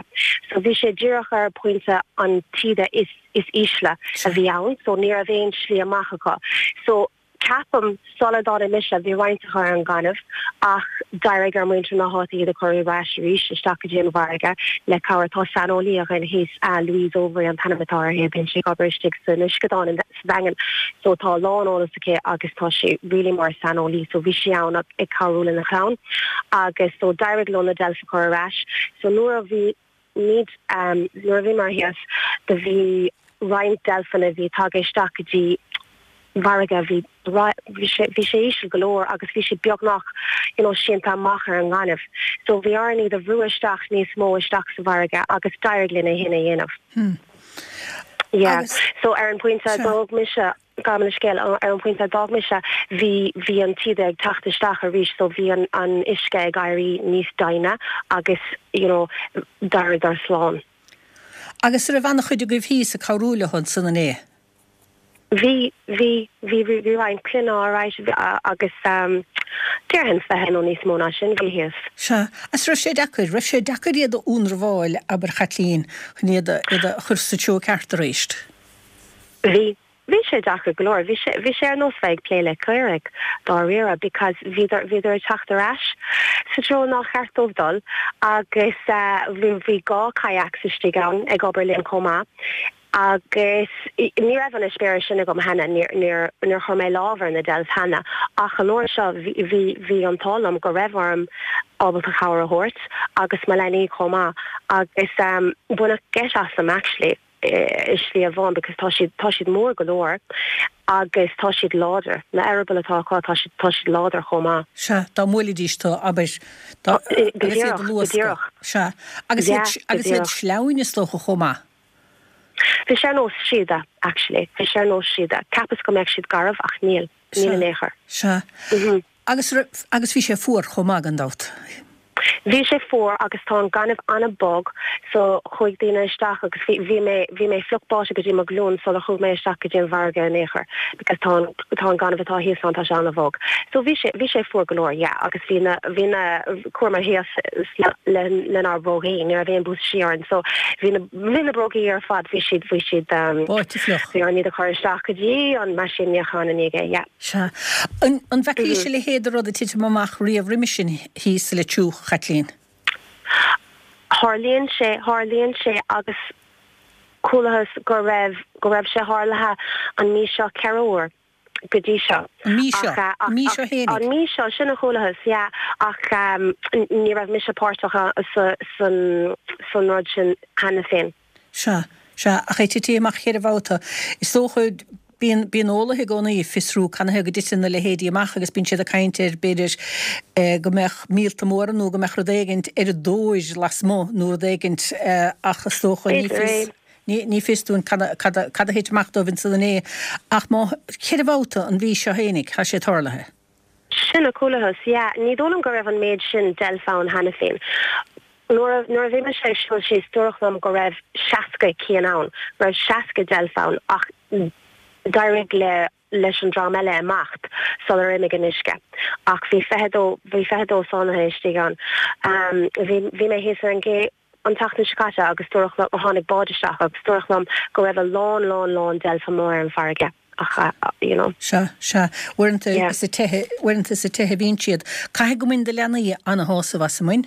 So bhí sé díreach ar pointe an taoide is is ísle a bhí ann, so ní raibh aon slí amach acu. So ceapaim sula dtáinig mise bhí roinnt acu ar an ngaineamh ach d'éirigh ar muintir na háite iad a chur ar ais arís isteach go dtí an bhfarraige le cabhair. Tá saineolaí againn thíos, Louise Overy an t-ainm atá uirthi, bíonn sí ag obair istigh san uisceadán sa Daingean so tá a lán eolas aici agus tá sí really mar saineolaí so bhí sí ann ag cabhrú lena chlann agus so d'éirigh leo na deilf a chur ar ais so nuair a bhí muid um, nuair a bhíomar thíos do bhí roinnt deilfeanna bhí tagtha isteach go dtí bhfarraige bhí bhí sé bhí sé íseal go leor agus bhí sé beagnach you know sínte amach ar an ngaineamh so bhí orainn iad a bhrú isteach níos mó isteach sa bhfarraige agus d'éirigh linn é sin a dhéanamh. Hmm. Yeah. Agus So ar an pointe Sea. d'fhág mise gabh mo leithscéal ar an pointe a d'fhág mise bhí bhí an taoide ag teacht isteach arís so bhí an an uisce ag éirí níos doimhne agus you know d'éiríodar slán. Agus raibh an-chuid agaibh thíos ag cabhrú leo ansan inné? Bhí bhí bhí bhí bhí roinnt clainne alright agus um, déarfainn fiche nó níos mó ná sin bhí thíos. Sea, agus raibh sé deacair, raibh sé deacair iad a ionramháil abair a Chaitlín chun iad a iad a chur sa treo ceart arís. Bhí bhí sé deacair go leor, bhí sé bhí sé ar nós bheith ag plé le caoirigh dáiríre because bhíodar bhíodar ag teacht ar ais sa treo nár cheart dóibh dul agus uh, bhí bhí dhá kayaks istigh ann ag obair linn chomh maith. Agus ní raibh an eispéireas sin agam cheana níor níor níor chuir mé lámh ar na deilf cheana ach an uair seo bhí bhí bhí an t-ádh liom go raibh orm ábalta cabhair a thabhairt agus mo leanaí chomh maith agus um, baineadh geit asam actually i slí amháin because tá siad tá siad mór go leor agus tá siad láidir na eireabaill atá acu tá siad tá siad láidir chomh maith. Sea, dá mbuailfidís tú abair dá Go agus iad díreach, a go luascadh. díreach. Sea, agus iad Yeah, go agus iad díreach. sleamhain is dócha chomh maith. Bhí sé ar nós síoda actually, bhí sé ar nós síoda. Cheapas go mbeadh siad garbh ach níl, níl in aon chor. Sea. Mhm. Agus raibh agus bhí sé fuar chomh maith gan dabht. Bhí sé fuar agus tá an gaineamh an-bhog so chuaigh daoine isteach agus bhí bhí mé bhí mé fliuch báite go dtí mo ghlúin sular chuaigh mé isteach go dtí an bhfarraige in aon chor because tá an tá an gaineamh atá thíos ann tá sé an-bhog. So bhí sé bhí sé fuar go leor yeah agus bhí na bhí na chuamar thíos le le lenár brógaí ní raibh aon buastaisí orainn so bhí na bhí na brógaí ar fad bhí siad bhí siad um, Báite fliuch. bhí orainn iad a chur isteach go dtí an meaisín níocháin i ndiaidh é yeah. Sea. An an bhfeacaís a leithéid de rud ag titim amach riamh roimhe sin thíos sa Leitir Fraic, Chaitlín? Tharlaíonn sé tharlaíonn sé agus chualathas go raibh go raibh sé tarlaithe an mí seo ceithre huair go dtí seo. An mí seo? Ach, uh, An mí seo fhéinig? An mí seo sin a chualathas yeah ach um, ní raibh mise páirteach sa san san rud sin cheana féin. Sea, sea, ach é tite amach cheithre bhabhta. Is dócha bíonn bíonn eolaithe i gcónaí ag fiosrú canathaobh go dtiteann na leithéidí amach agus bíonn siad ag caint ar b'fhéidir eh, go mbeadh míolta móra nó go mbeadh rud éigint ar a dtóir lasmuigh nó rud éigint eh, ach is dócha ní B'fhéidir fios é. ní ní fios dúinn cad a- cad a- cad a thit amach dóibh ansan inné ach má cheithre bhabhta an mhí seo fhéinig tá sé tarlaithe. Sin a chualathas, yeah, ní dóigh liom go raibh an méid sin deilf ann cheana féin. Nuair a nuair a bhí mise ag siúl síos dúradh liom go raibh seasca cinn ann, go raibh seasca deilf ann ach d'éirigh le leis an dream eile imeacht sular imigh an uisce. Ach bhí fiche dó bhí fiche dó sáinnithe istigh ann. Um, bhí bhí mé thíos ar an gcé an tseachtain seo caite agus dúradh liom tháinig bád isteach agus dúradh liom go raibh a lán lán lán deilf amuigh ar an farraige. Ach uh, you know. Sea, sea. Uaireanta Yeah. sa tithe, uaireanta sa tithe bhíonn siad. Caithfidh go mbain do leanaí ana-shásamh as an mbain?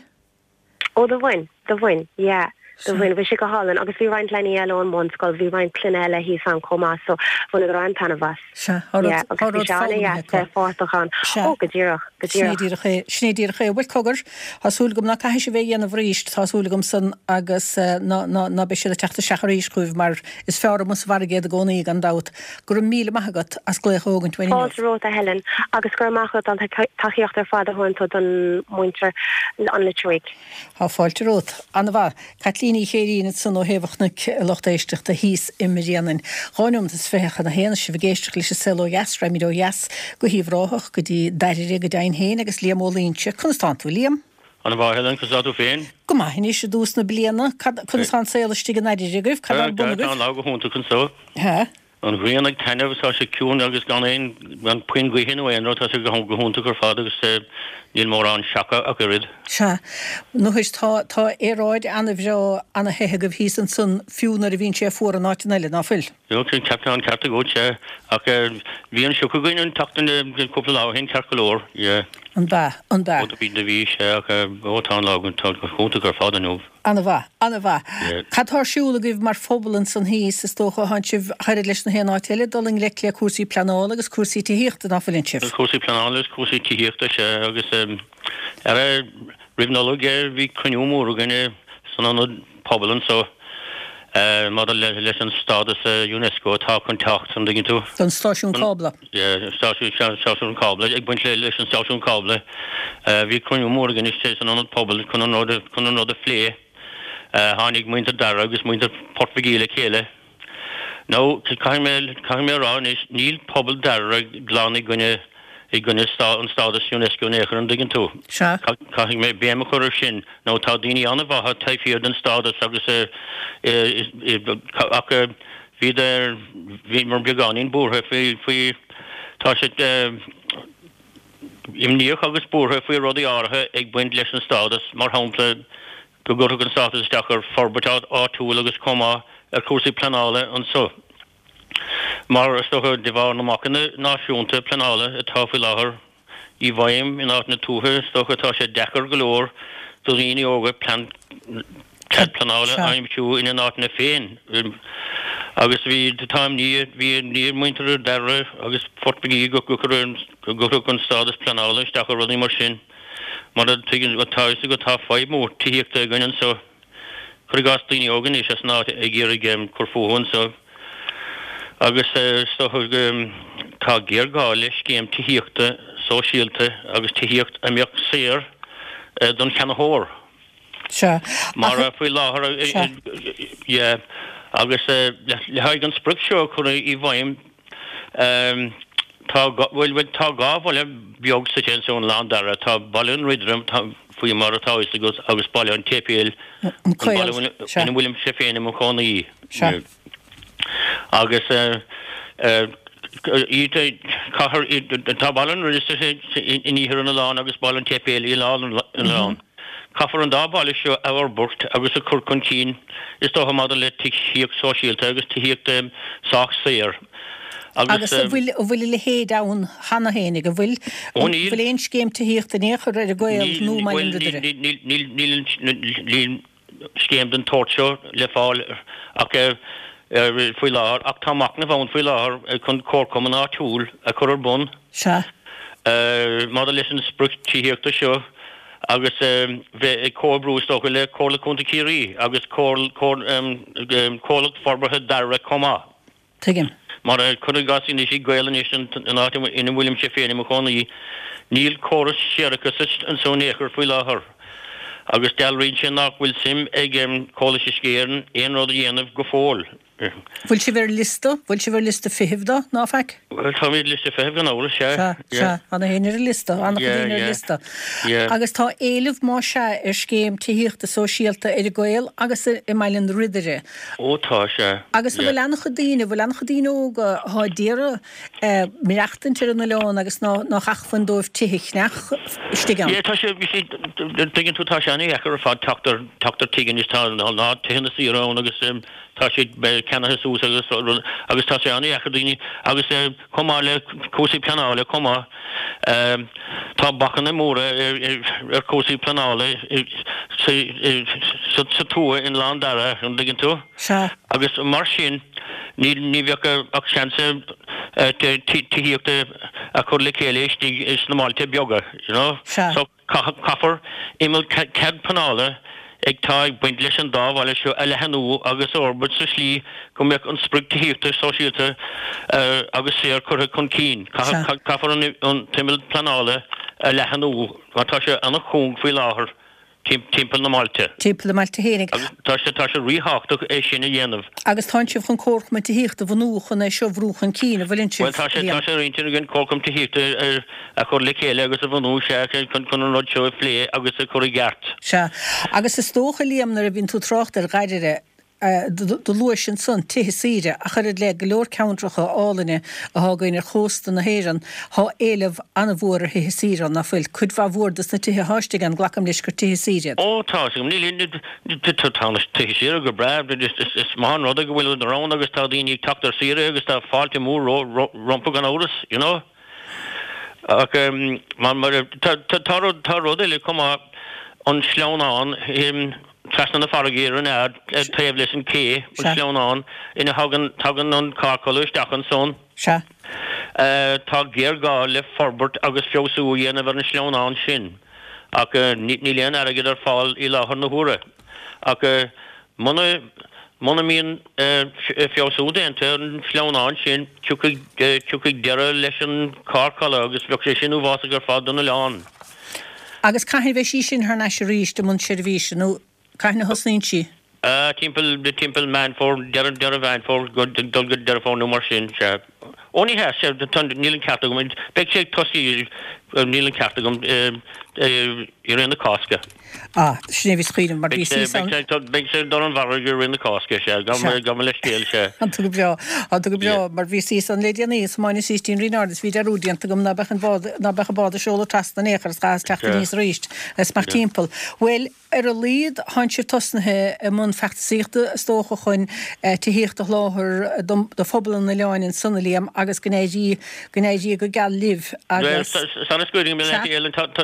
Ó do bhain, do bhain, yeah. Do bhain bhí sé go hálainn agus bhí roinnt leanaí eile ón mbunscoil, bhí roinnt clainne eile thíos ann chomh maith, so bhaineadar an-taitneamh as. Sea, Yeah, agus bhí sé an-deas bheith páirteach ann. Sea. Ó, go díreach, go Sin é díreach. díreach é, sin é díreach é. Bhuel cogar, tá súil agam ná caithfidh sibh é a dhéanamh arís, tá súil agam san agus eh, ná ná ná beidh siad ag teacht isteach arís chugaibh mar is fearr amuigh sa bhfarraige iad i gcónaí gan dabht. Go raibh míle maith agat as glaoch a thógaint uainn inniu. Fáilte romhat a Helen agus go raibh maith agat an tacaíocht ar fad a thugann tú don muintir an Leitir Fhionnúig. Tá fáilte romhat. An-mhaith. Caitlín Ní Chéirín san ó Thaobh an Chnoic lucht éisteachta thíos i mBréanainn. Dhá nóiméad is fiche chun a haon sibh ag éisteacht leis an Saol Ó Dheas, raghaimid ó dheas go hUíbh Ráthach go dtí Dairire go deimhin féin agus Liam Ó Loinsigh. Conas tánn tú, Liam? An-mhaith Helen, conas tá tú féin? Go maith anois i dtús na bliana, conas tá an saol istigh i nDairire agaibh, cad ar bun Tá agaibh? an lá go hiontach anseo. He? An ghrian ag taitneamh tá sé ciúin agus gan aon gan puinn gaoithe nó aon rud, tá sé go go hiontach ar fad agus eh, níl mórán seaca ach oiread. Sea, nó is tá tá aeráid an-bhreá ana-the agaibh thíos ansan fiú nuair a bhíonn sé fuar in áiteanna eile, ná fuil? Jo, sin ceart an ceart agat sé ach eh, bhí an sioc againn an tseachtain eh, cúpla lá ó shin ceart go leor. Yeah. An ba, an ba. Ó bhí bhí sé ach eh, ó tá an lá go tá go hiontach ar fad inniu. An-mhaith, an-mhaith. Yeah. Cad tá ar siúl agaibh mar phobal ansan thíos is dócha tánn sibh thairid leis na haon áit eile dul i ngleic le cúrsaí pleanála agus cúrsaí tithíochta ná fuileann sibh. Cúrsaí pleanála agus cúrsaí tithíochta sé agus um, ar roimh Nollaig eh, bhí cruinniú mór againn eh, san ionad pobail anseo eh, maidir le, leis an stádas eh, UNESCO atá chun teacht an dtuigeann tú. Don stáisiún cábla. Yeah, stáisiún stáisiún cábla ag baint le leis an stáisiún cábla. Uh, bhí cruinniú mór againn istigh san ionad pobail chun an rud a- chun an rud a phlé. Uh, tháinig muintir Dara agus muintir Port Mhic le chéile. No, caithfidh mé caithfidh mé a rá anois níl pobal Dara glan i gcoinne i gcoinne stá an stádas UNESCO in aon chor an dtuigeann tú. Sea. Caithfidh mé béim a chur ar sin nó tá daoine an-mhaithe taobh thiar den stádas agus eh, eh, eh, ach eh, bhí bhí mar beagáinín buartha faoi faoi tá siad eh, imníoch agus buartha faoi rudaí áirithe ag baint leis an stádas mar shampla go gcuirfeadh an stádas isteach ar forbairt áitiúil agus chomh maith ar chúrsaí pleanála anseo. Mar is dócha de bharr na mbacanna náisiúnta pleanála atá faoi láthair i bhfeidhm in áit na tuaithe is dócha tá sé deacair go leor do dhaoine óga plean cead pleanála Sea. aimsiú ina n-áiteanna féin. Agus bhí tá ní bhí ní muintir Dara agus Port Mhic go go go an stádas pleanála isteach ar rudaí mar sin. Mar a tuigeann tá go tá fadhb mór tithíochta againn anseo. Cuir i gcás daoine óga anois as an áit ag iarraidh um, cur fúthu anseo. Agus eh, is dócha um, tá géarghá le scéim tithíochta sóisialta agus tithíocht a mbeadh saor eh, don cheannaitheoir. Sea. Mar Ach- faoi láthair eh, Sea. eh, yeah, agus eh, le le haghaidh an sprioc seo chun i bhfeidhm um, tá gá- bhfuil bhfuil tá dhá bhaile beag sa ten an Lán Dara tá Baile an Ridrim tá faoi mar atá fhios agus agus Baile an tSéipéil An Caol, ina sea. bhfuilim sé féin i mo chónaí. Sea. Agus eh, eh, iad cathair tá Baile an Ridrim in iarthar an oileáin agus Baile an tSéipéil i lár an oileáin. Caithfear an dá bhaile seo a fhorbairt agus a chur chun cinn is dócha maidir le tithíocht sóisialta agus tithíocht um, sách saor. Agus eh, an bhfuil an bhfuil a leithéid ann cheana féin ag an bhfuil Ó, níl. bhfuil aon scéim tithíochta in aon chor ar an gCaol nó Baile an Ridire. Níl níl scéim den tsórt seo le fáil ach eh, eh, faoi láthair ach tá machnamh ann faoi láthair eh, chun comharchumann áitiúil a chur ar bun. Sea. Uh, maidir leis an sprioc tithíochta seo agus um, bheith ag comhoibriú is dócha le Comhairle Contae Chiarraí agus Comhlacht Forbartha Dara chomh maith. Tuigim. Mar cuir i gcás anois i gCaol anois an áit ina bhfuilim sé féin i mo chónaí, níl córas séarachais anseo in aon chor faoi láthair. Agus dealraíonn sé nach bhfuil suim ag um, Comhlachas Uisce Éireann aon rud a dhéanamh go fóill. Bhfuil sibh ar liosta? Bhfuil sibh ar liosta feithimh dó, ná faic? Bhuel, táimid ar liosta feithimh gan amhras, sea. Sea, sea, tá na héinne ar an liosta, an-chuid daoine ar an liosta. Agus tá éileamh, más ea, ar scéim tithíochta sóisialta ar an gCaol agus i mBaile an Ridire. Ó tá, sea. Agus an bhfuil an-chuid daoine, an bhfuil an-chuid daoine óga atá ag iarraidh maireachtaint ar an oileán agus nach acmhainn dóibh tithe a cheannach istigh ann? Yeah, tá sé, you see, tuigeann tú, tá sé an-dheacair ar fad teacht ar, teacht ar tigh anois, tá, ná tithe na saoire ann agus, Tá siad ceannaithe suas agus agus tá sé an-dheacair daoine agus chomh maith le cúrsaí pleanála chomh maith tá bacanna móra ar chúrsaí pleanála sa tuath in Oileán Dara, an dtuigeann tú? Sea. Agus mar sin ní ní bheadh ach seans tithíocht a chur le chéile istigh sna mbailte beaga, you know? Sea. So Caithfear imeall cead pleanála ag tá ag baint leis an dá bhaile seo a leathnú agus a fhorbairt sa slí go mbeadh an sprioc tithíochta sóisialta agus saor curtha chun cinn. Caithfear an t-imeall pleanála a leathnú mar tá sé an-chúng faoi láthair. timpeall na mbailte. Timpeall na mbailte fhéinig. Agus tá sé, tá sé ríthábhachtach é sin a dhéanamh. Agus tánn sibh chun comharchumann tithíochta a bhunú chun é seo a bhrú chun cinn, an bhfuileann sibh, Bhuel, tá sé, Liam? tá sé ar intinn againn comharchumann tithíochta a chur le chéile agus a bhunú, sea, chun, chun an rud seo a phlé agus a chur i gceart. Sea. Agus is dócha, Liam, nuair a bhíonn tú ag trácht ar Dháirire, Do luais ansan tithe saoire, ach oiread le go leor ceantracha álainne athá againn ar chósta na hÉireann, thá éileamh an-mhór ar thithe saoire ann, ná fuil? Cuid mhaith mhór dos na tithe athá istigh ann, glacaim leis gur tithe saoire iad. Ó tá, níl, tá na tithe saoire go breá, is maith an rud é go bhfuil siad ann agus tá daoine ag teacht ar saoire agus tá fáilte mhór rompu gan amhras, you know. Ach mar, tá rud, tá rud eile chomh maith, an sleamhnán, Trasna na farraige ar an Aird, taobh leis an ché, an sleamhnán, ina thagann tagann an carrcholladh isteach ansan. Sea. Tá géarghá le forbairt agus feabhsú a dhéanamh ar an sleamhnán sin, ach níl aon airgead ar fáil i láthair na huaire. Ach muna muna mbíonn feabhsú déanta ar an sleamhnán sin, tiocfaidh tiocfaidh deireadh leis an charrcholladh agus bheadh sé sin uafásach ar fad don oileán. Agus cathain a bheidh sí sin thar n-ais arís i mbun seirbhíse, nó cathain a thosnaíonn sí? Timpeall, timpeall Meán Fómhair, deireadh, deireadh Mheán Fómhair, go, dul go Deireadh Fómhair nó mar sin, sea. Ó ní hea, sea, tá, níl an ceart agam, beidh sé ag tosaí, níl an ceart agam, i rith na Cásca. Ah, sin é a bhíos ag cuimhneamh, mar bhí suas ann. Beidh sé ag dul an bharraigh i rith na Cásca, sea, gabh mo leithscéal, sea. Tá tú go breá, tá tú go breá, mar bhíos thíos ann le déanaí, is thiomáineas síos dtí an Rinn Ard is bhí dearúd déanta agam ná beadh an bád, ná beadh an bád ag seoladh trasna in aon chor is chaitheas teacht aníos arís is amach timpeall. Bhuel, ar a laghad, thánn sibh tosnaithe i mbun feachtasaíochta, is dócha, chun tithíocht a sholáthar do phobal an oileáin ansan, a Liam, agus go n-éirí, go n-éirí go geal libh agus. Sula scaoilfidh mé leat, Ellen, tá, tá,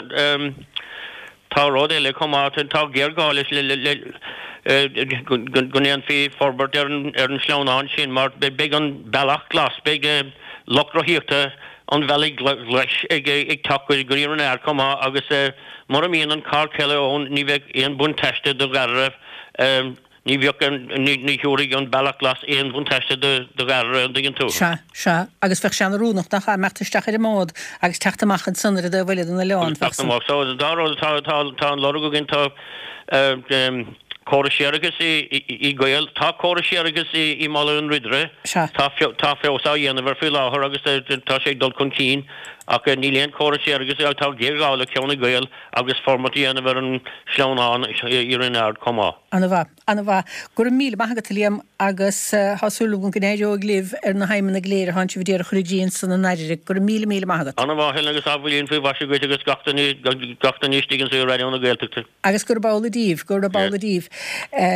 Tá rud eile chomh maith, tá géarghá leis go ndéanfaí forbairt ar an sleamhnán sin mar beidh an bealach glas, beidh lucht rothaíochta an bhealaigh ghlais ag teacht go dtí an Rinn Ard chomh maith agus mura mbíonn an carrcholladh ann ní bheidh aon bhuntáiste do Dháirire. Ní bheadh, ní thabharfaidh an Bealach Glas aon bhuntáiste do Dháirire, an dtuigeann tú? Sea, sea. Agus bheadh sé an-oiriúnach, nach ea, imeacht isteach ar an mbád agus teacht amach ansan ar an dtaobh eile den oileán. Agus teacht amach. So, an dá rud, tá, tá, tá an lorg againn, tá córas séarachais i gCaol, tá córas séarachais i mBaile an Ridire, Sea. tá, tá feabhas á dhéanamh air faoi láthair agus tá sé ag dul chun cinn ach níl aon chóras séarachais, tá géarghá le ceann i gCaol agus forbairt a dhéanamh ar an sleamhnán i Rinn Ard chomh maith. Ana-mhaith. Ana-mhaith. Go raibh míle maith agat, a Liam, agus tá súil agam go n-éireoidh libh ar na haidhmeanna go léir atánn sibh a d'iarraidh a chur i gcrích ansan i nDairire. Go raibh míle, míle maith agat. Ana-mhaith, Helen, agus athbhliain faoi mhaise dhuit agus gach duine, gach duine istigh anso i Raidió na Gaeltachta. Agus gurab amhlaidh daoibh, gurab amhlaidh daoibh.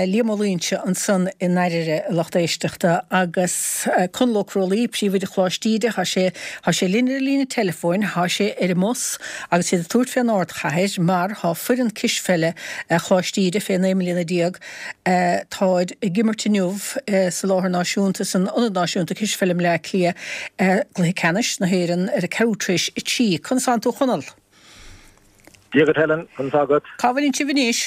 Liam Ó Loingsigh ansan i nDairire, a lucht éisteachta, agus Conall Ó Crólaí, Príomhoide Choláiste Íde, tá sé, tá sé linn ar an líne teileafóin, tá sé ar an mbus agus iad ag tabhairt fén ardchathair mar tá foireann cispheile Choláiste Íde fé naoi mbliana déag, táid ag imirt inniu sa láthair náisiúnta, san Ionad Náisiúnta Cispheile i mBleá Cliath, gcluiche ceannais na hÉireann ar a ceathrú tar éis a trí. Conas tánn tú a Chonaill? Dia dhuit Helen, conas tá agat? Cá bhfuileann sibh anois?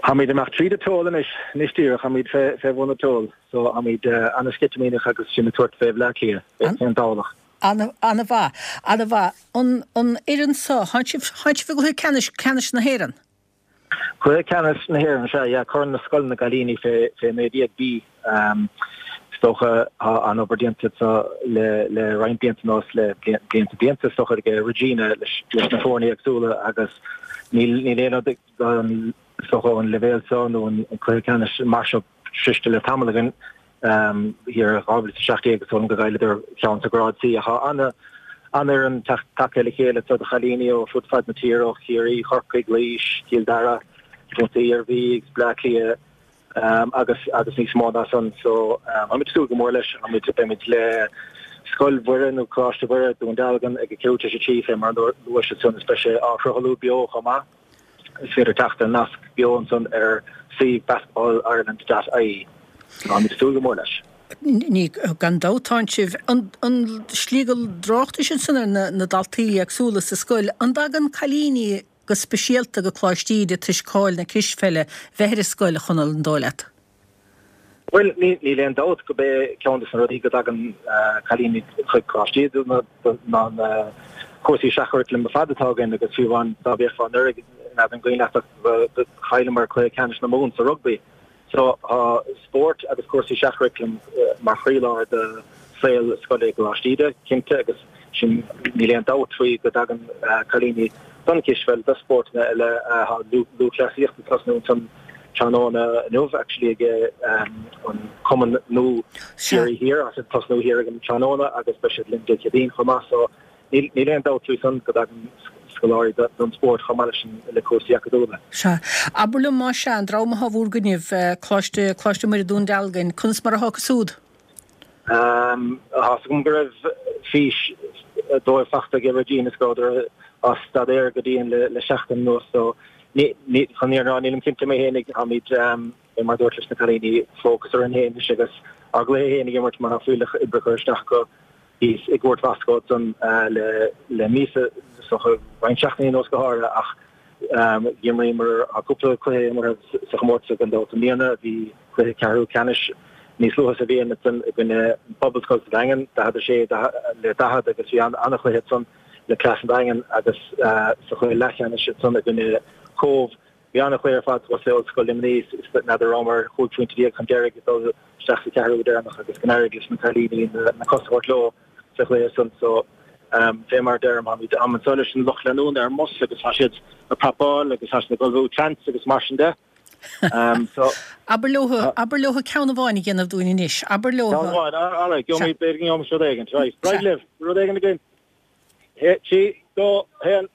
Táimid ag imeacht tríd an Toll anois, anois díreach, táimid fé, fé bhun an Toll, so táimid ana-sceitimíneach agus sinn ag tabhairt fé Bhleá Cliath, fén Domhnach. Ana, ana-mhaith, ana-mhaith. An, an fhoireann seo, thánn sibh, thánn sibh i gcluiche ceannais, ceannais na hÉireann? Cluiche ceannais na hÉireann, sea, yeah, Corn na Scoileanna na gCailíní fé fé naoi déag B. Is dócha tá an-obair déanta anseo le le roinnt blianta anuas, le blianta blianta is dócha ag Regina leis leis na foirne éagsúla agus níl níl aon rud den is dócha an leibhéal seo nó an cluiche ceannais mar seo sroiste le tamall againn. Thiar i dhá mhíle is a seacht déag is dóigh liom go gcailleadar ceann sa ghrád C ach tá ana an-fhoireann tagtha le chéile anseo de chailíní ó fud fad na tíre, ó Chiarraí, Chorcaigh, Laois, Cill Dara, Contae Iarmhí agus Bleá Cliath agus agus níos mó ná san. So táimid ag súil go mór leis. Táimid beimid le Scoil Mhuire nó Coláiste Mhuire, Dún Dealgan ag a ceathrú tar éis a trí fé mar a luais ansan is beidh sé á shruthlú beo chomh maith. Is féidir teacht ar nasc beo ansan ar suíomh basketball ireland dot ie. Táimid ag súil go mór leis. Ní, gan dabht tánn sibh. An slí go dtráchtais ansan ar na daltaí éagsúla sa scoil, an dtagann cailíní go speisialta go Coláiste Íde toisc cáil na cispheile bheith ar an scoil, a Chonaill, an dóigh leat? Bhuel, níl aon dabht go b'é ceann de na rudaí go dtagann cailíní chuig Coláiste Íde ná na cúrsaí seach-churaclaim ar fad atá againn agus fiú amháin dá bhféachfá anuraidh, n'fheadar an cuimhin leat ach go chailleamar cluiche ceannais na Mumhan sa rugbaí. So tá spórt agus cúrsaí seach-churaclaim mar chroílár de saol scoile i gColáiste Íde, cinnte, agus sin, níl aon dabht faoi go dtagann cailíní don chispheil, do spórtanna eile. Tá lúthchleasaíocht ag tosnú ansan tráthnóna inniu actually ag an cumann nua Ciarraí Thiar, tá siad ag tosnú thiar ag an tráthnóna agus beidh siad linn Dé Céadaoin chomh maith. So níl aon dabht faoi san go dtagann scoláirí don spórt chomh maith leis an le cúrsaí acadúla. Sea. Abair liom más ea, an dream atá bhúr gcoinnibh, Coláiste, Coláiste Muire Dún Dealgan, conas mar atá acu súd? Tá 'fhios agam go raibh fís dóibh fachta ag Regina is go rabhadar á staidéar go dian le seachtain anuas so ní, ní, chun an fhírinne a rá nílim cinnte mé fhéinig, táimid, mar a dúirt leis na cailíní, fócas orainn fhéin anois agus ár gcluiche fhéin ag imirt mar tá fuílleach oibre curtha isteach acu thíos i gCúirt Mhoscó ansan le míosa, is dócha roinnt seachtainí anuas go háirithe ach d'imríomar cúpla cluiche imeartha sa chomórtas gan dabht i mbliana. Bhí cluiche ceathrú ceannais níos luaithe sa bhliain ansan i gcoinne an Phobalscoil sa Daingean, daichead a sé le daichead agus bhí an-chluiche ansan le cleas an Daingin agus sa chluiche leathcheannais ansan i gcoinne Cóbh. Bhí an-chluiche ar fad thuas le Ollscoil Luimnigh, n'fheadar rabhamar chúig phointe déag chun deiridh ag dul isteach sa cheathrú deireanach agus go n-éirigh leis na cailíní na cosa a thabhairt leo sa chluiche san. So, fé mar a deirim, táimid anso leis an lucht leanúna ar an mbus agus tá siad ag prapáil agus tá siad ag ullmhú chants agus mar sin de. So. Abair leo, abair leo ceann amháin a dhéanamh dúinn anois. Abair leo. Ceann amháin, alright, gheobhaimid, b'fhéidir go ngeobhaimis rud éigin. Right, right libh, rud éigin againn. Trí, dó, haon.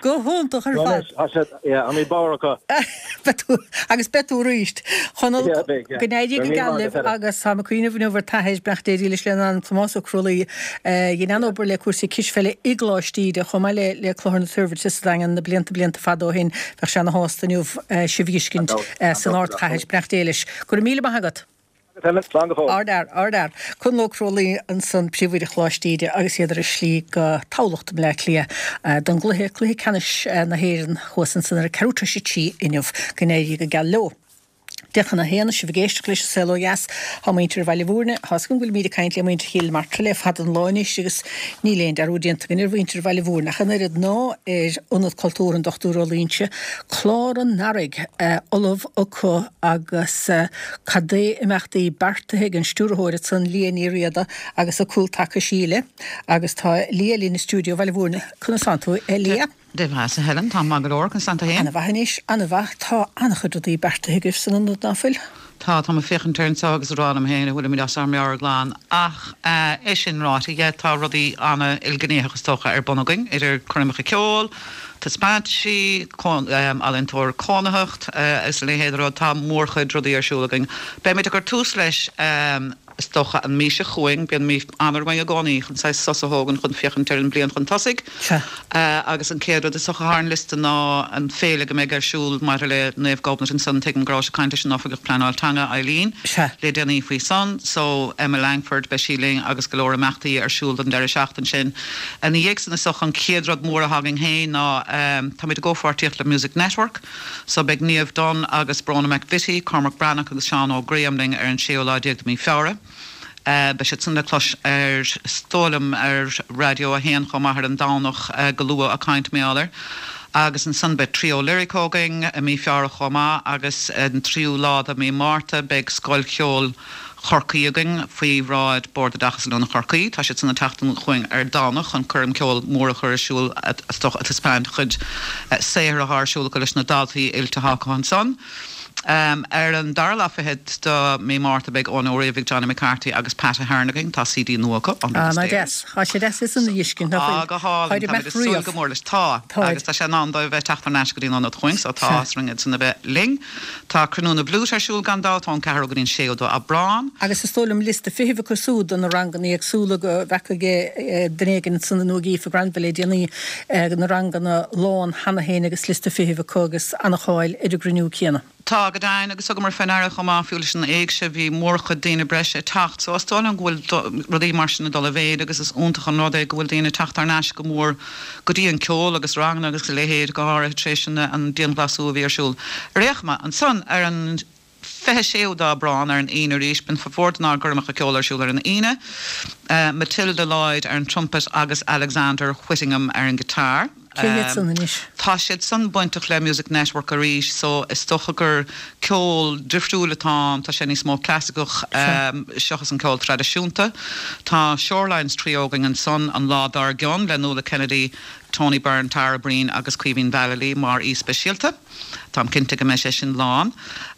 Go hiontach ar fad. Tá mé bodhar acu. Beidh tú, agus beidh tú arís. Chonall, go n-éirí go geal libh agus táim ag cuimhneamh inniu ar t'athair, beannacht Dé dhílis lena anam, Tomás Ó Crualaoi, a dhein an-obair le cúrsaí cispheile i gColáiste Íde, chomh maith le le Clochar na Toirbhirte sa Daingean na blianta blianta fada ó shin. Bheadh sé ana-shásta inniu sibh a fheiscint san ardchathair. Beannacht Dé leis. Go raibh míle maith agat. Slán go fóill. Ardfhear, ardfhear. Conall Ó Crualaoi ansan, Príomhoide Choláiste Íde agus iad ar a slí go Tamhlacht i mBleá Cliath don gcluiche, cluiche ceannais na hÉireann thuas ansan ar a ceathrú tar éis a trí inniu. Go n-éirí go geal leo. Deich chun a haon, sibh ag éisteacht leis an Saol Ó Dheas. Tá muintir Bhaile Bhúirne, tá's agam go bhfuilimid ag caint le muintir Chill Martra le fada an lá anois agus níl aon dearúd déanta againn ar mhuintir Bhaile Bhúirne ach an oiread ná ar Ionad Cultúrtha an Dochtúir Ó Loingsigh, Clár an Earraigh ullamh acu agus cad é imeachtaí beartaithe ag an stiúrthóir ansan, Liadh Ní Riada agus a cúltaca Síle agus tá Liadh linn i stiúideo Bhaile Bhúirne. Conas tánn tú, a Liadh? Dia dhuit, a Helen, táim maith go leor, conas tánn tú féin? Ana-mhaith anois, ana-mhaith. Tá an-chuid rudaí beartaithe agaibh san ionad, ná fuil? Tá, táim ag féachaint air anseo agus ag rá liom féin an bhfuilimid as ár meabhair glan. Ach é sin ráite, yeah, tá rudaí an-ilghnéitheach is dócha ar bun againn, idir coirmeacha ceoil, taispeántaisí, ealaíontóir cónaitheacht agus a leithéid de rud. Tá mórchuid rudaí ar siúl againn. Beimid ag cur tús leis is dócha an mhí seo chugainn, bíonn mí Eanáir againn i gcónaí chun saghas sos a thógaint chun féachaint ar an bliain chun tosaigh. Sea. Agus an chéad rud is dócha atá ar an liosta ná an féile go mbeidh ar siúl maidir le Naomh Gobnait ansan, tuigim go raibh sibh ag caint leis an Oifigeach Pleanáil Teanga, Eileen, Sea. le déanaí faoi san. So, Emma Langford, beidh sí linn agus go leor imeachtaí ar siúl don deireadh seachtain sin. Ina dhiaidh san is dócha an chéad rud mór atá againn féin ná táimid i gcomhpháirtíocht le Music Network so beidh Niamh Dunne agus Bróna McVittie, Cormac Breathnach agus Seán Óg Graham linn ar an séú lá déag de mhí Feabhra. Beidh siad san le clos ar, is dóigh liom, ar Raidió a haon chomh maith ar an Domhnach go luath ag caint mar gheall air. Agus ansan beidh Trio Lirico againn i mí Feabhra chomh maith agus an tríú lá de mhí Márta beidh Scoil Cheoil Chorcaí againn faoi bhráid Bord Oideachais Oiliúna Chorcaí. Tá siad san ag teacht chugainn ar Domhnach chun coirm ceoil mór a chur ar siúl is dócha ag taispeáint chuid saothair atá ar siúl acu leis na daltaí oilte atá acu ansan. Ar an dara lá fichead de mí Márta beidh Eoin Ó Riabhaigh, Johnny McCarthy agus Pat Ahern againn. Tá CD nua acu, Under the Ah, Stairs. deas. Tá sé deas is an fheiscint, nach Ah, bhfuil? go hálainn. Táid Táimid ag súil go mór leis. Tá. Táid. Agus tá sé in am dóibh bheith teacht thar n-ais go dtí an ionad chugainn, so tá áthas orainn iad san a bheith linn. Tá Cruinniú na bhFliút ar siúl gan dabht ón ceathrú go dtí an séú d'Aibreán. Agus is dóigh liom liosta feithimh acu siúd do na ranganna éagsúla go bhfeaca duine éigin ansan nó ag Aoife Granville le déanaí na ranganna lán cheana féin agus liosta feithimh acu agus an-cháil ar an gcruinniú céanna. Tá go deimhin agus thugamar faoi ndeara chomh maith fiú leis an éigse bhí mórchuid daoine breise ag teacht so is dóigh liom go bhfuil rudaí mar sin ag dul i mhéid agus is iontach an rud é go bhfuil daoine ag teacht thar n-ais go mór go dtí an ceol agus ranganna agus a leithéid go háirithe tar éis an an dianghlasáil a bhí ar siúl. Ar aon chuma, ansan ar an fiche séú d'Aibreán ar an Aoine arís bíonn formhór denár gcoirmeacha ceoil ar siúl ar an Aoine, Matilda Lloyd ar an trumpet agus Alexander Whittingham ar an guitar. Cé hiad san anois? Tá siad san bainteach le Music Network arís so is dócha gur ceol difriúil atá ann, tá sé níos mó clasaiceach seachas an ceol traidisiúnta. Tá Shorelines Trio againn ansan an lá dár gcionn le Nuala Kennedy, Tony Byrne, Tara Breen agus Caoimhín Vallely mar aoi speisialta. Táim cinnte go mbeidh sé sin lán.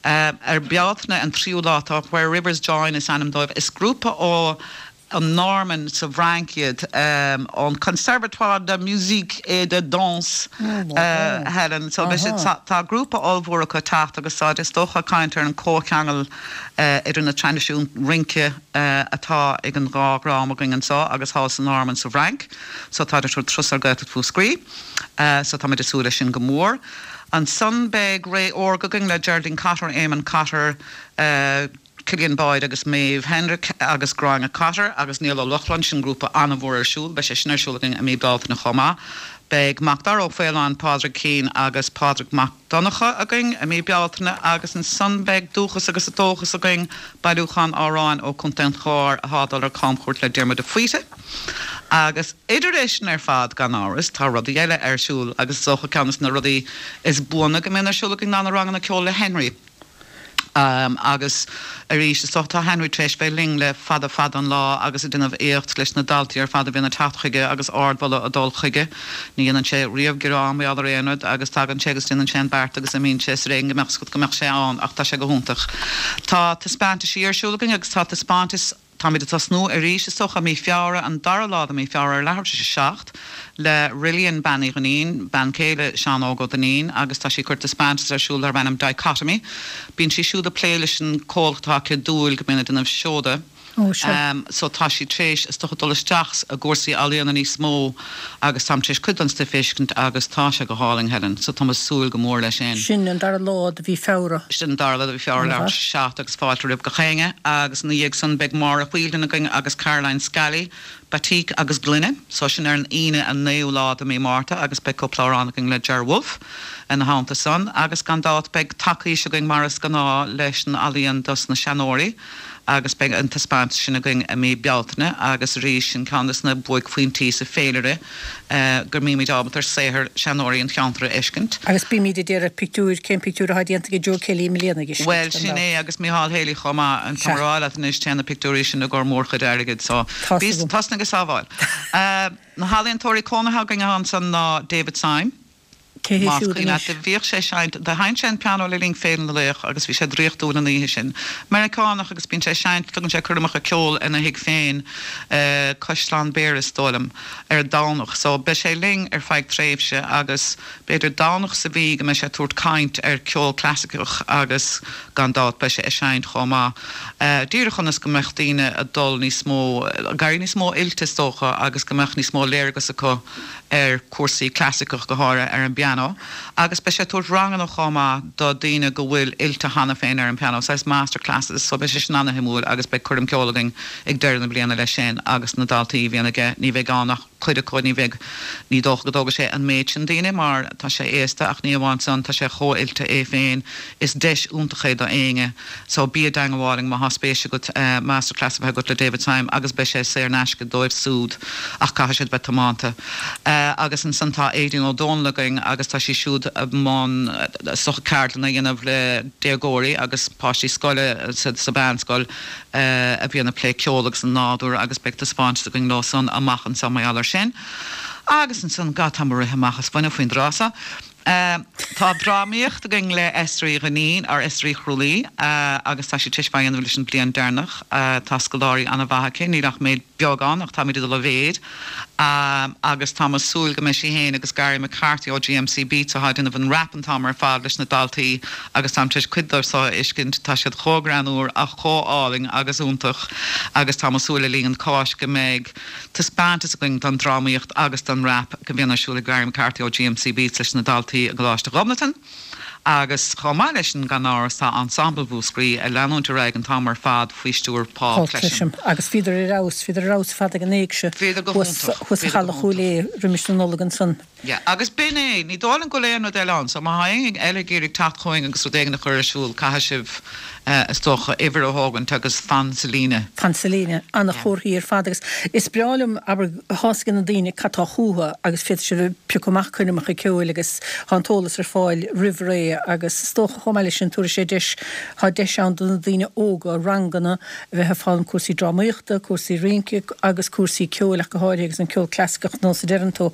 Ar Bealtaine an tríú lá tá Where Rivers Join is ainm dóibh. Is grúpa ó an Normainn sa bhFrainc iad, ón Conservatoire de Musique et de Danse, Helen. So beidh siad, tá grúpa ollmhór acu ag teacht agus táid is dócha ag caint ar an comhcheangal idir na traidisiúin rince atá ag an dhá dhream againn anseo agus thall sa Normainn sa bhFrainc. So táid ag tabhairt turas ar Ghaeltacht Mhúscraí. So táimid ag súil leis sin go mór. Ansan beidh Ré Órga againn le Geraldine Cotter, Eamon Cotter, Cillian Boyd agus Maeve Hendrick agus Gráinne Cotter agus Niall Ó Lochlainn, sin grúpa an-mhór ar siúl, beidh sé sin ar siúl againn i mí Bealtaine chomh maith. Beidh Macdara Ó Faoláin, Pádraig Keane agus Pádraig Mac Donncha againn i mí Bealtaine agus ansan beidh Dúchas agus Dóchas againn, bailiúchán amhráin ó Chontae an Chláir atá ag dul ar camchuairt le Diarmuid de Faoite. Agus idir é sin ar fad, gan amhras, tá rudaí eile ar siúl agus is dócha ceann de na rudaí is buana go mbíonn ar siúl againn ná na ranganna ceoil le Henry. Agus arís, is dócha, tá Henry tar éis bheith linn le fada fada an lá agus ag déanamh éacht leis na daltaí ar fad a bhíonn ag teacht chuige agus ardmholadh ag dul chuige. Ní dhéanann sé riamh gearán mar gheall ar aon rud agus tagann sé agus déanann sé an beart agus imíonn sé is ar éigean go mbeadh go mbeadh sé ann ach tá sé go hiontach. Tá taispeántaisí ar siúl againn agus tá taispeántas Táimid ag tosnú arís, is dócha, mí Feabhra, an dara lá de mí Feabhra ar leathuair tar éis a seacht, le Rillian Bean Uí Dhuinnín, bean chéile Seán Óg Ó Duinnín, agus tá sí ag cur taispeántas ar siúl darb ainm Dichotomy. Bíonn sí siúd ag plé leis an comhlacht atá aici Dúil go mbíonn ag déanamh seoda. Ó, sea. So tá sí tar éis, is dócha, dul isteach i gcúrsaí ealaíona níos mó agus táim tar éis cuid den stuif a fheiscint agus tá sé go hálainn, Helen. So táim ag súil go mór leis sin. Sin an dara lá de mhí Feabhra. Sin an dara lá de mhí Feabhra, leathuair tar éis a seacht agus fáilte roimh gach éinne. Agus ina dhiaidh san beidh Máire Wheeldon againn agus Caroline Scally, Batik agus Gloine. So sin ar an Aoine an naoú lá de mhí Márta agus beidh cúpla amhrán againn le Ger Wolfe ina theannta san. Agus gan dabht beidh tacaois againn mar is gnáth leis an ealaíon dos na seanóirí. agus beidh an taispeántas sin againn i mí Bealtaine agus arís sin ceann de na buaicphointí sa féilire go mbímid ábalta ar saothar seanóirí an cheantair a fheiscint. Agus bímid ag iarraidh pictiúir, cén pictiúr atá déanta ag Joe Kelly i mbliana a fheiscint, Bhuel, sin é agus Micheál Haley chomh maith, tá mé a rá leat anois, téann na pictiúirí sin i gcomhair mórchuid airgid so bí tosnaigh ag sábháil. Na healaíontóirí cónaithe againn ansan ná David Syme, Cé hé Más siúd cuimhin leat, anois? bhíodh sé ag seinnt, do sheinn sé an pianó le linn Féile na Laoch agus bhí sé draíochtúil an oíche sin. Meiriceánach agus bíonn sé ag seinnt, tugann sé coirmeacha ceoil ina thigh féin, Caisleán Béara is dóigh liom, ar an Domhnach. So beidh sé linn ar feadh tréimhse agus b'fhéidir Domhnach sa mhí go mbeidh sé ag tabhairt caint ar ceol clasaiceach agus gan dabht beidh sé ag seinnt chomh maith. Díreach ionas go mbeadh daoine ag dul níos mó, ag éirí níos mó oilte is dócha agus go mbeadh níos mó léargas acu ar cúrsaí clasaiceach go háirithe ar an bpianó agus beidh sé ag tabhairt ranganna chomh maith do daoine go bhfuil oilte cheana féin ar an pianó, saghas master classes, so beidh sé sin ana-shuimiúil agus beidh coirm ceoil againn ag deireadh na bliana leis sin agus na daltaí a bhíonn aige, ní bheidh ann ach cuid acu, ní bheidh, ní dócha go dtógfaidh sé an méid sin daoine mar tá sé aosta ach ní amháin san, tá sé chomh oilte é féin, is deis iontach é do éinne so bí i dteangmháil linn má thá spéis agat master class a bheith agat le David Syme agus beidh sé saor in aisce dóibh súd ach caithfidh siad bheith tiomanta. Agus ansan tá Aedín Ó Dónaill againn agus tá sí siúd i mbun is dócha ceardlanna a dhéanamh le déagóirí agus páistí scoile sa sa mheánscoil a bhíonn ag plé ceol agus an nádúr agus beidh taispeántas againn leo san amach anseo mar gheall air sin. Agus ansan, God táim ag rith amach as fuinneamh faoin dtráth seo. Tá drámaíocht againn le Esther Uí Dhuinnín, or Esther Uí Chrualaoi, agus tá sí tar éis bheith á dhéanamh leis an bliain deireanach. Tá scoláirí an-mhaith aici, níl ach méid beag ann ach táimid ag dul i mhéid agus táim ag súil go mbeidh sí féin agus Gary McCarthy ó GMC Beats atá ag déanamh an rap an t-am ar fad leis na daltaí agus táim tar éis cuid dóibh seo a fheiscint, tá siad chomh greannmhar ach chomh álainn agus iontach agus táim ag súil le linn an Cháisc go mbeidh taispeántas againn don drámaíocht agus don rap go mbíonn ar siúl ag Gary McCarthy ó GMC Beats leis na daltaí i gColáiste Ghobnatan. Agus chomh maith leis sin, gan amhras, tá Ensemble Mhúscraí ag leanúint ar aghaidh an t-am ar fad faoi stiúir Paul Paul Clesham. Clesham. Agus bhíodar ar fheabhas, bhíodar ar fheabhas ar fad ag an éigse Bhíodar go thuas hiontach, thuas sa bhíodar go Halla Chúil hiontach. Aodha roimis na Nollag ansan. Yeah, agus b'in é, ní dóigh liom go bhfuil aon rud eile ann, so má tá éinne eile ag iarraidh teacht chugainn agus rud éigin a chur ar siúl, caithfidh sibh, is dócha, uimhir a thógaint agus fan sa líne. Fan sa líne, ana-chomharthaí ar fad agus is breá liom, abair, tá's ag na daoine cad tá chucu agus féadfaidh siad piocadh amach coirmeacha ceoil agus tá an t-eolas ar fáil roimh ré agus is dócha chomh maith leis sin tabharfaidh sé deis, tá deis ann do na daoine óga ranganna a bheith ag foghlaim cúrsaí drámaíochta, cúrsaí rince agus cúrsaí ceoil ach go háirithe agus an ceol clasaiceach nós a deireann tú.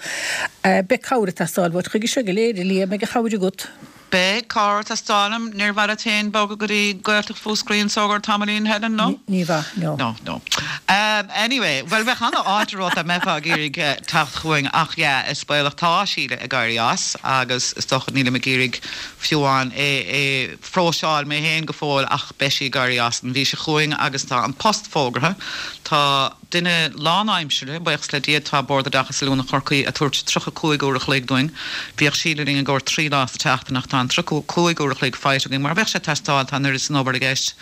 Beidh cabhair ag teastáil uait chuige seo go léir, a Liam, beidh an chabhair agat. Beidh cabhair ag teastáil uaim. Níor mhaith leat féin bogadh go dtí Gaeltacht Mhúscraí anso ar tamaillín, Helen, no? Ní mhaith, no. No, no. Um, anyway, bhuel bheadh an-fháilte romhat dá mbeifeá ag iarraidh eh, teacht chugainn ach yeah, is baolach tá Síle ag éirí as agus is dócha nílim ag iarraidh fiú amháin é é phróiseáil mé féin go fóill ach beidh sí ag éirí as an mhí seo chugainn agus tá an post fógartha. Tá duine lánaimseartha, buíochas le Dia, tá Bord Oideachais Oiliúna Chorcaí ag tabhairt tríocha cúig uair a chloig dúinn. Bhíodh Síle linn i gcomhair trí lá sa tseachtain ach tá an tríocha cúig uair a chloig faighte againn mar bheadh sé ag teastáil, tá an oiread san obair i gceist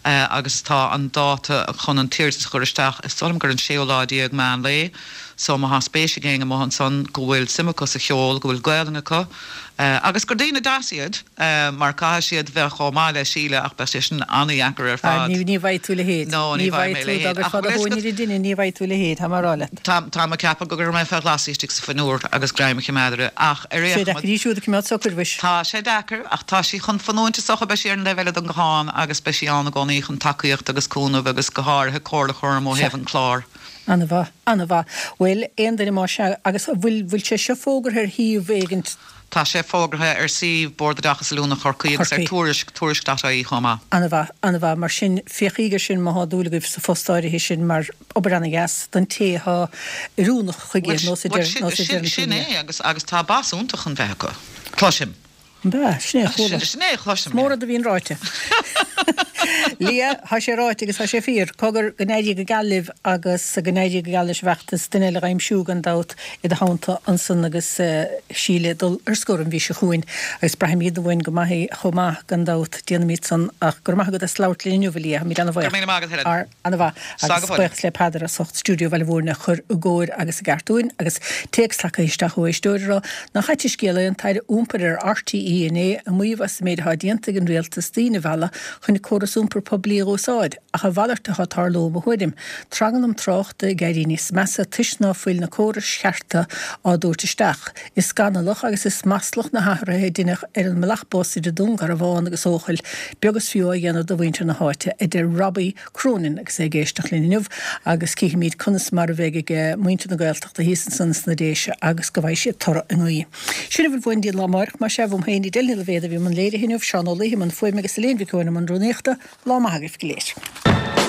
agus tá an dáta chun an t-iarratas a chur isteach, is dóigh liom gur an séú lá déag Meán Lae. So má thá spéis ag éinne amuigh ansan go bhfuil suim acu sa cheol, go bhfuil Gaelainn acu, agus gur daoine deas iad, mar caithfidh siad bheith chomh maith le Síle ach beidh sé sin an-dheacair ar fad. Ní bhfaighidh tú a leithéid. No, ní bhfaighidh mé a leithéid. Ach bhfuil fhios agat, duine, ní bhfaighidh tú a leithéid, tá mé ag rá leat. Tá, tá mé ag ceapadh go gcuirfidh mé fé ghlas í istigh sa fhuinneoir agus greim a choimeád uirthi ach ar aon Sé deacair í siúd a choimeád socair, mhuis. Tá sé deacair ach tá sí chun fanúint is dócha, beidh sí ar an dtaobh eile den ghuthán agus beidh sí ann i gcónaí chun tacaíocht agus cúnamh agus go háirithe comhairle a chur orm ó thaobh an chláir. Ana-mhaith, ana-mhaith. Bhuel, aon duine más ea, agus an bhfuil, bhfuil sé seo fógartha ar shuíomh éigint? Tá sé fógartha ar suíomh Bord Oideachais Oiliúna Chorcaí agus ar Chorcaí. Tuairisc, tuairisc dot ie chomh maith. Ana-mhaith, ana-mhaith. Mar sin, féachaíg air sin má thá dúil agaibh sa phost áirithe sin mar obair ana-dheas don té athá oiriúnach chuige, Bhuel, nós a bhuel, deir, sin, nós a sin, deireann tú sin liom. é agus, agus tá bas iontach chun bheith acu. Cloisim. An bea? Sin é a chuala. Sin é a chloisim, Is mór yeah. rud a bhíonn ráite. Lia, thá sé ráite agus thá sé fíor. Cogar, go n-éirí go geal libh agus go n-éirí go geal leis an bhfeachtas, duine eile dh'aimsiú gan dabht i do theannta ansan agus Síle ag dul ar scor an mhí seo chugainn agus braithfimid uainn go maith í chomh maith gan dabht, déanfaimid san ach go raibh maith agat as labhairt linn inniu, a Lia, táimid Go raibh ana-bhuíoch. míle maith agat, Helen. Ar, ana-mhaith. Slán Agus go fóill. buíochas le Peadar as ucht Stiúideo Bhaile Mhúirne a chur i gcóir agus i gceart dúinn agus téacs tagtha isteach ó éisteoir a rá nach ait an scéal é an tAire Iompair ar RTÉ R T E inné ag maíomh as an méid atá déanta ag an rialtas daoine a mhealladh chun córas iompair poiblí a úsáid, ach a mhalairt atá ag tarlú i mo thuairim. Tranglam tráchta ag éirí níos measa toisc ná fuil na córais chearta á dtabhairt isteach. Is scannalach agus is maslach na hathruithe a deineadh ar an mbealach bus idir Dún Garbhán agus Eochaill, beag is fiú á dhéanamh do mhuintir na háite, a deir Robbie Cronin agus é ag éisteacht linn inniu agus cífimid conas mar a bheidh ag muintir na Gaeltachta thíos ansan sna Déise agus go bhfaighidh siad toradh a nguí. Sin a bhfuil uainn go dtí an lá amárach, más ea, uaim féin, Edel Ní Loibhéad a bhí i mbun léirithe inniu, Seán Ó Laoithe i mbun fuaime agus Elaine Mhic Eoin i mbun rúnaíochta. Lá maith agaibh go léir.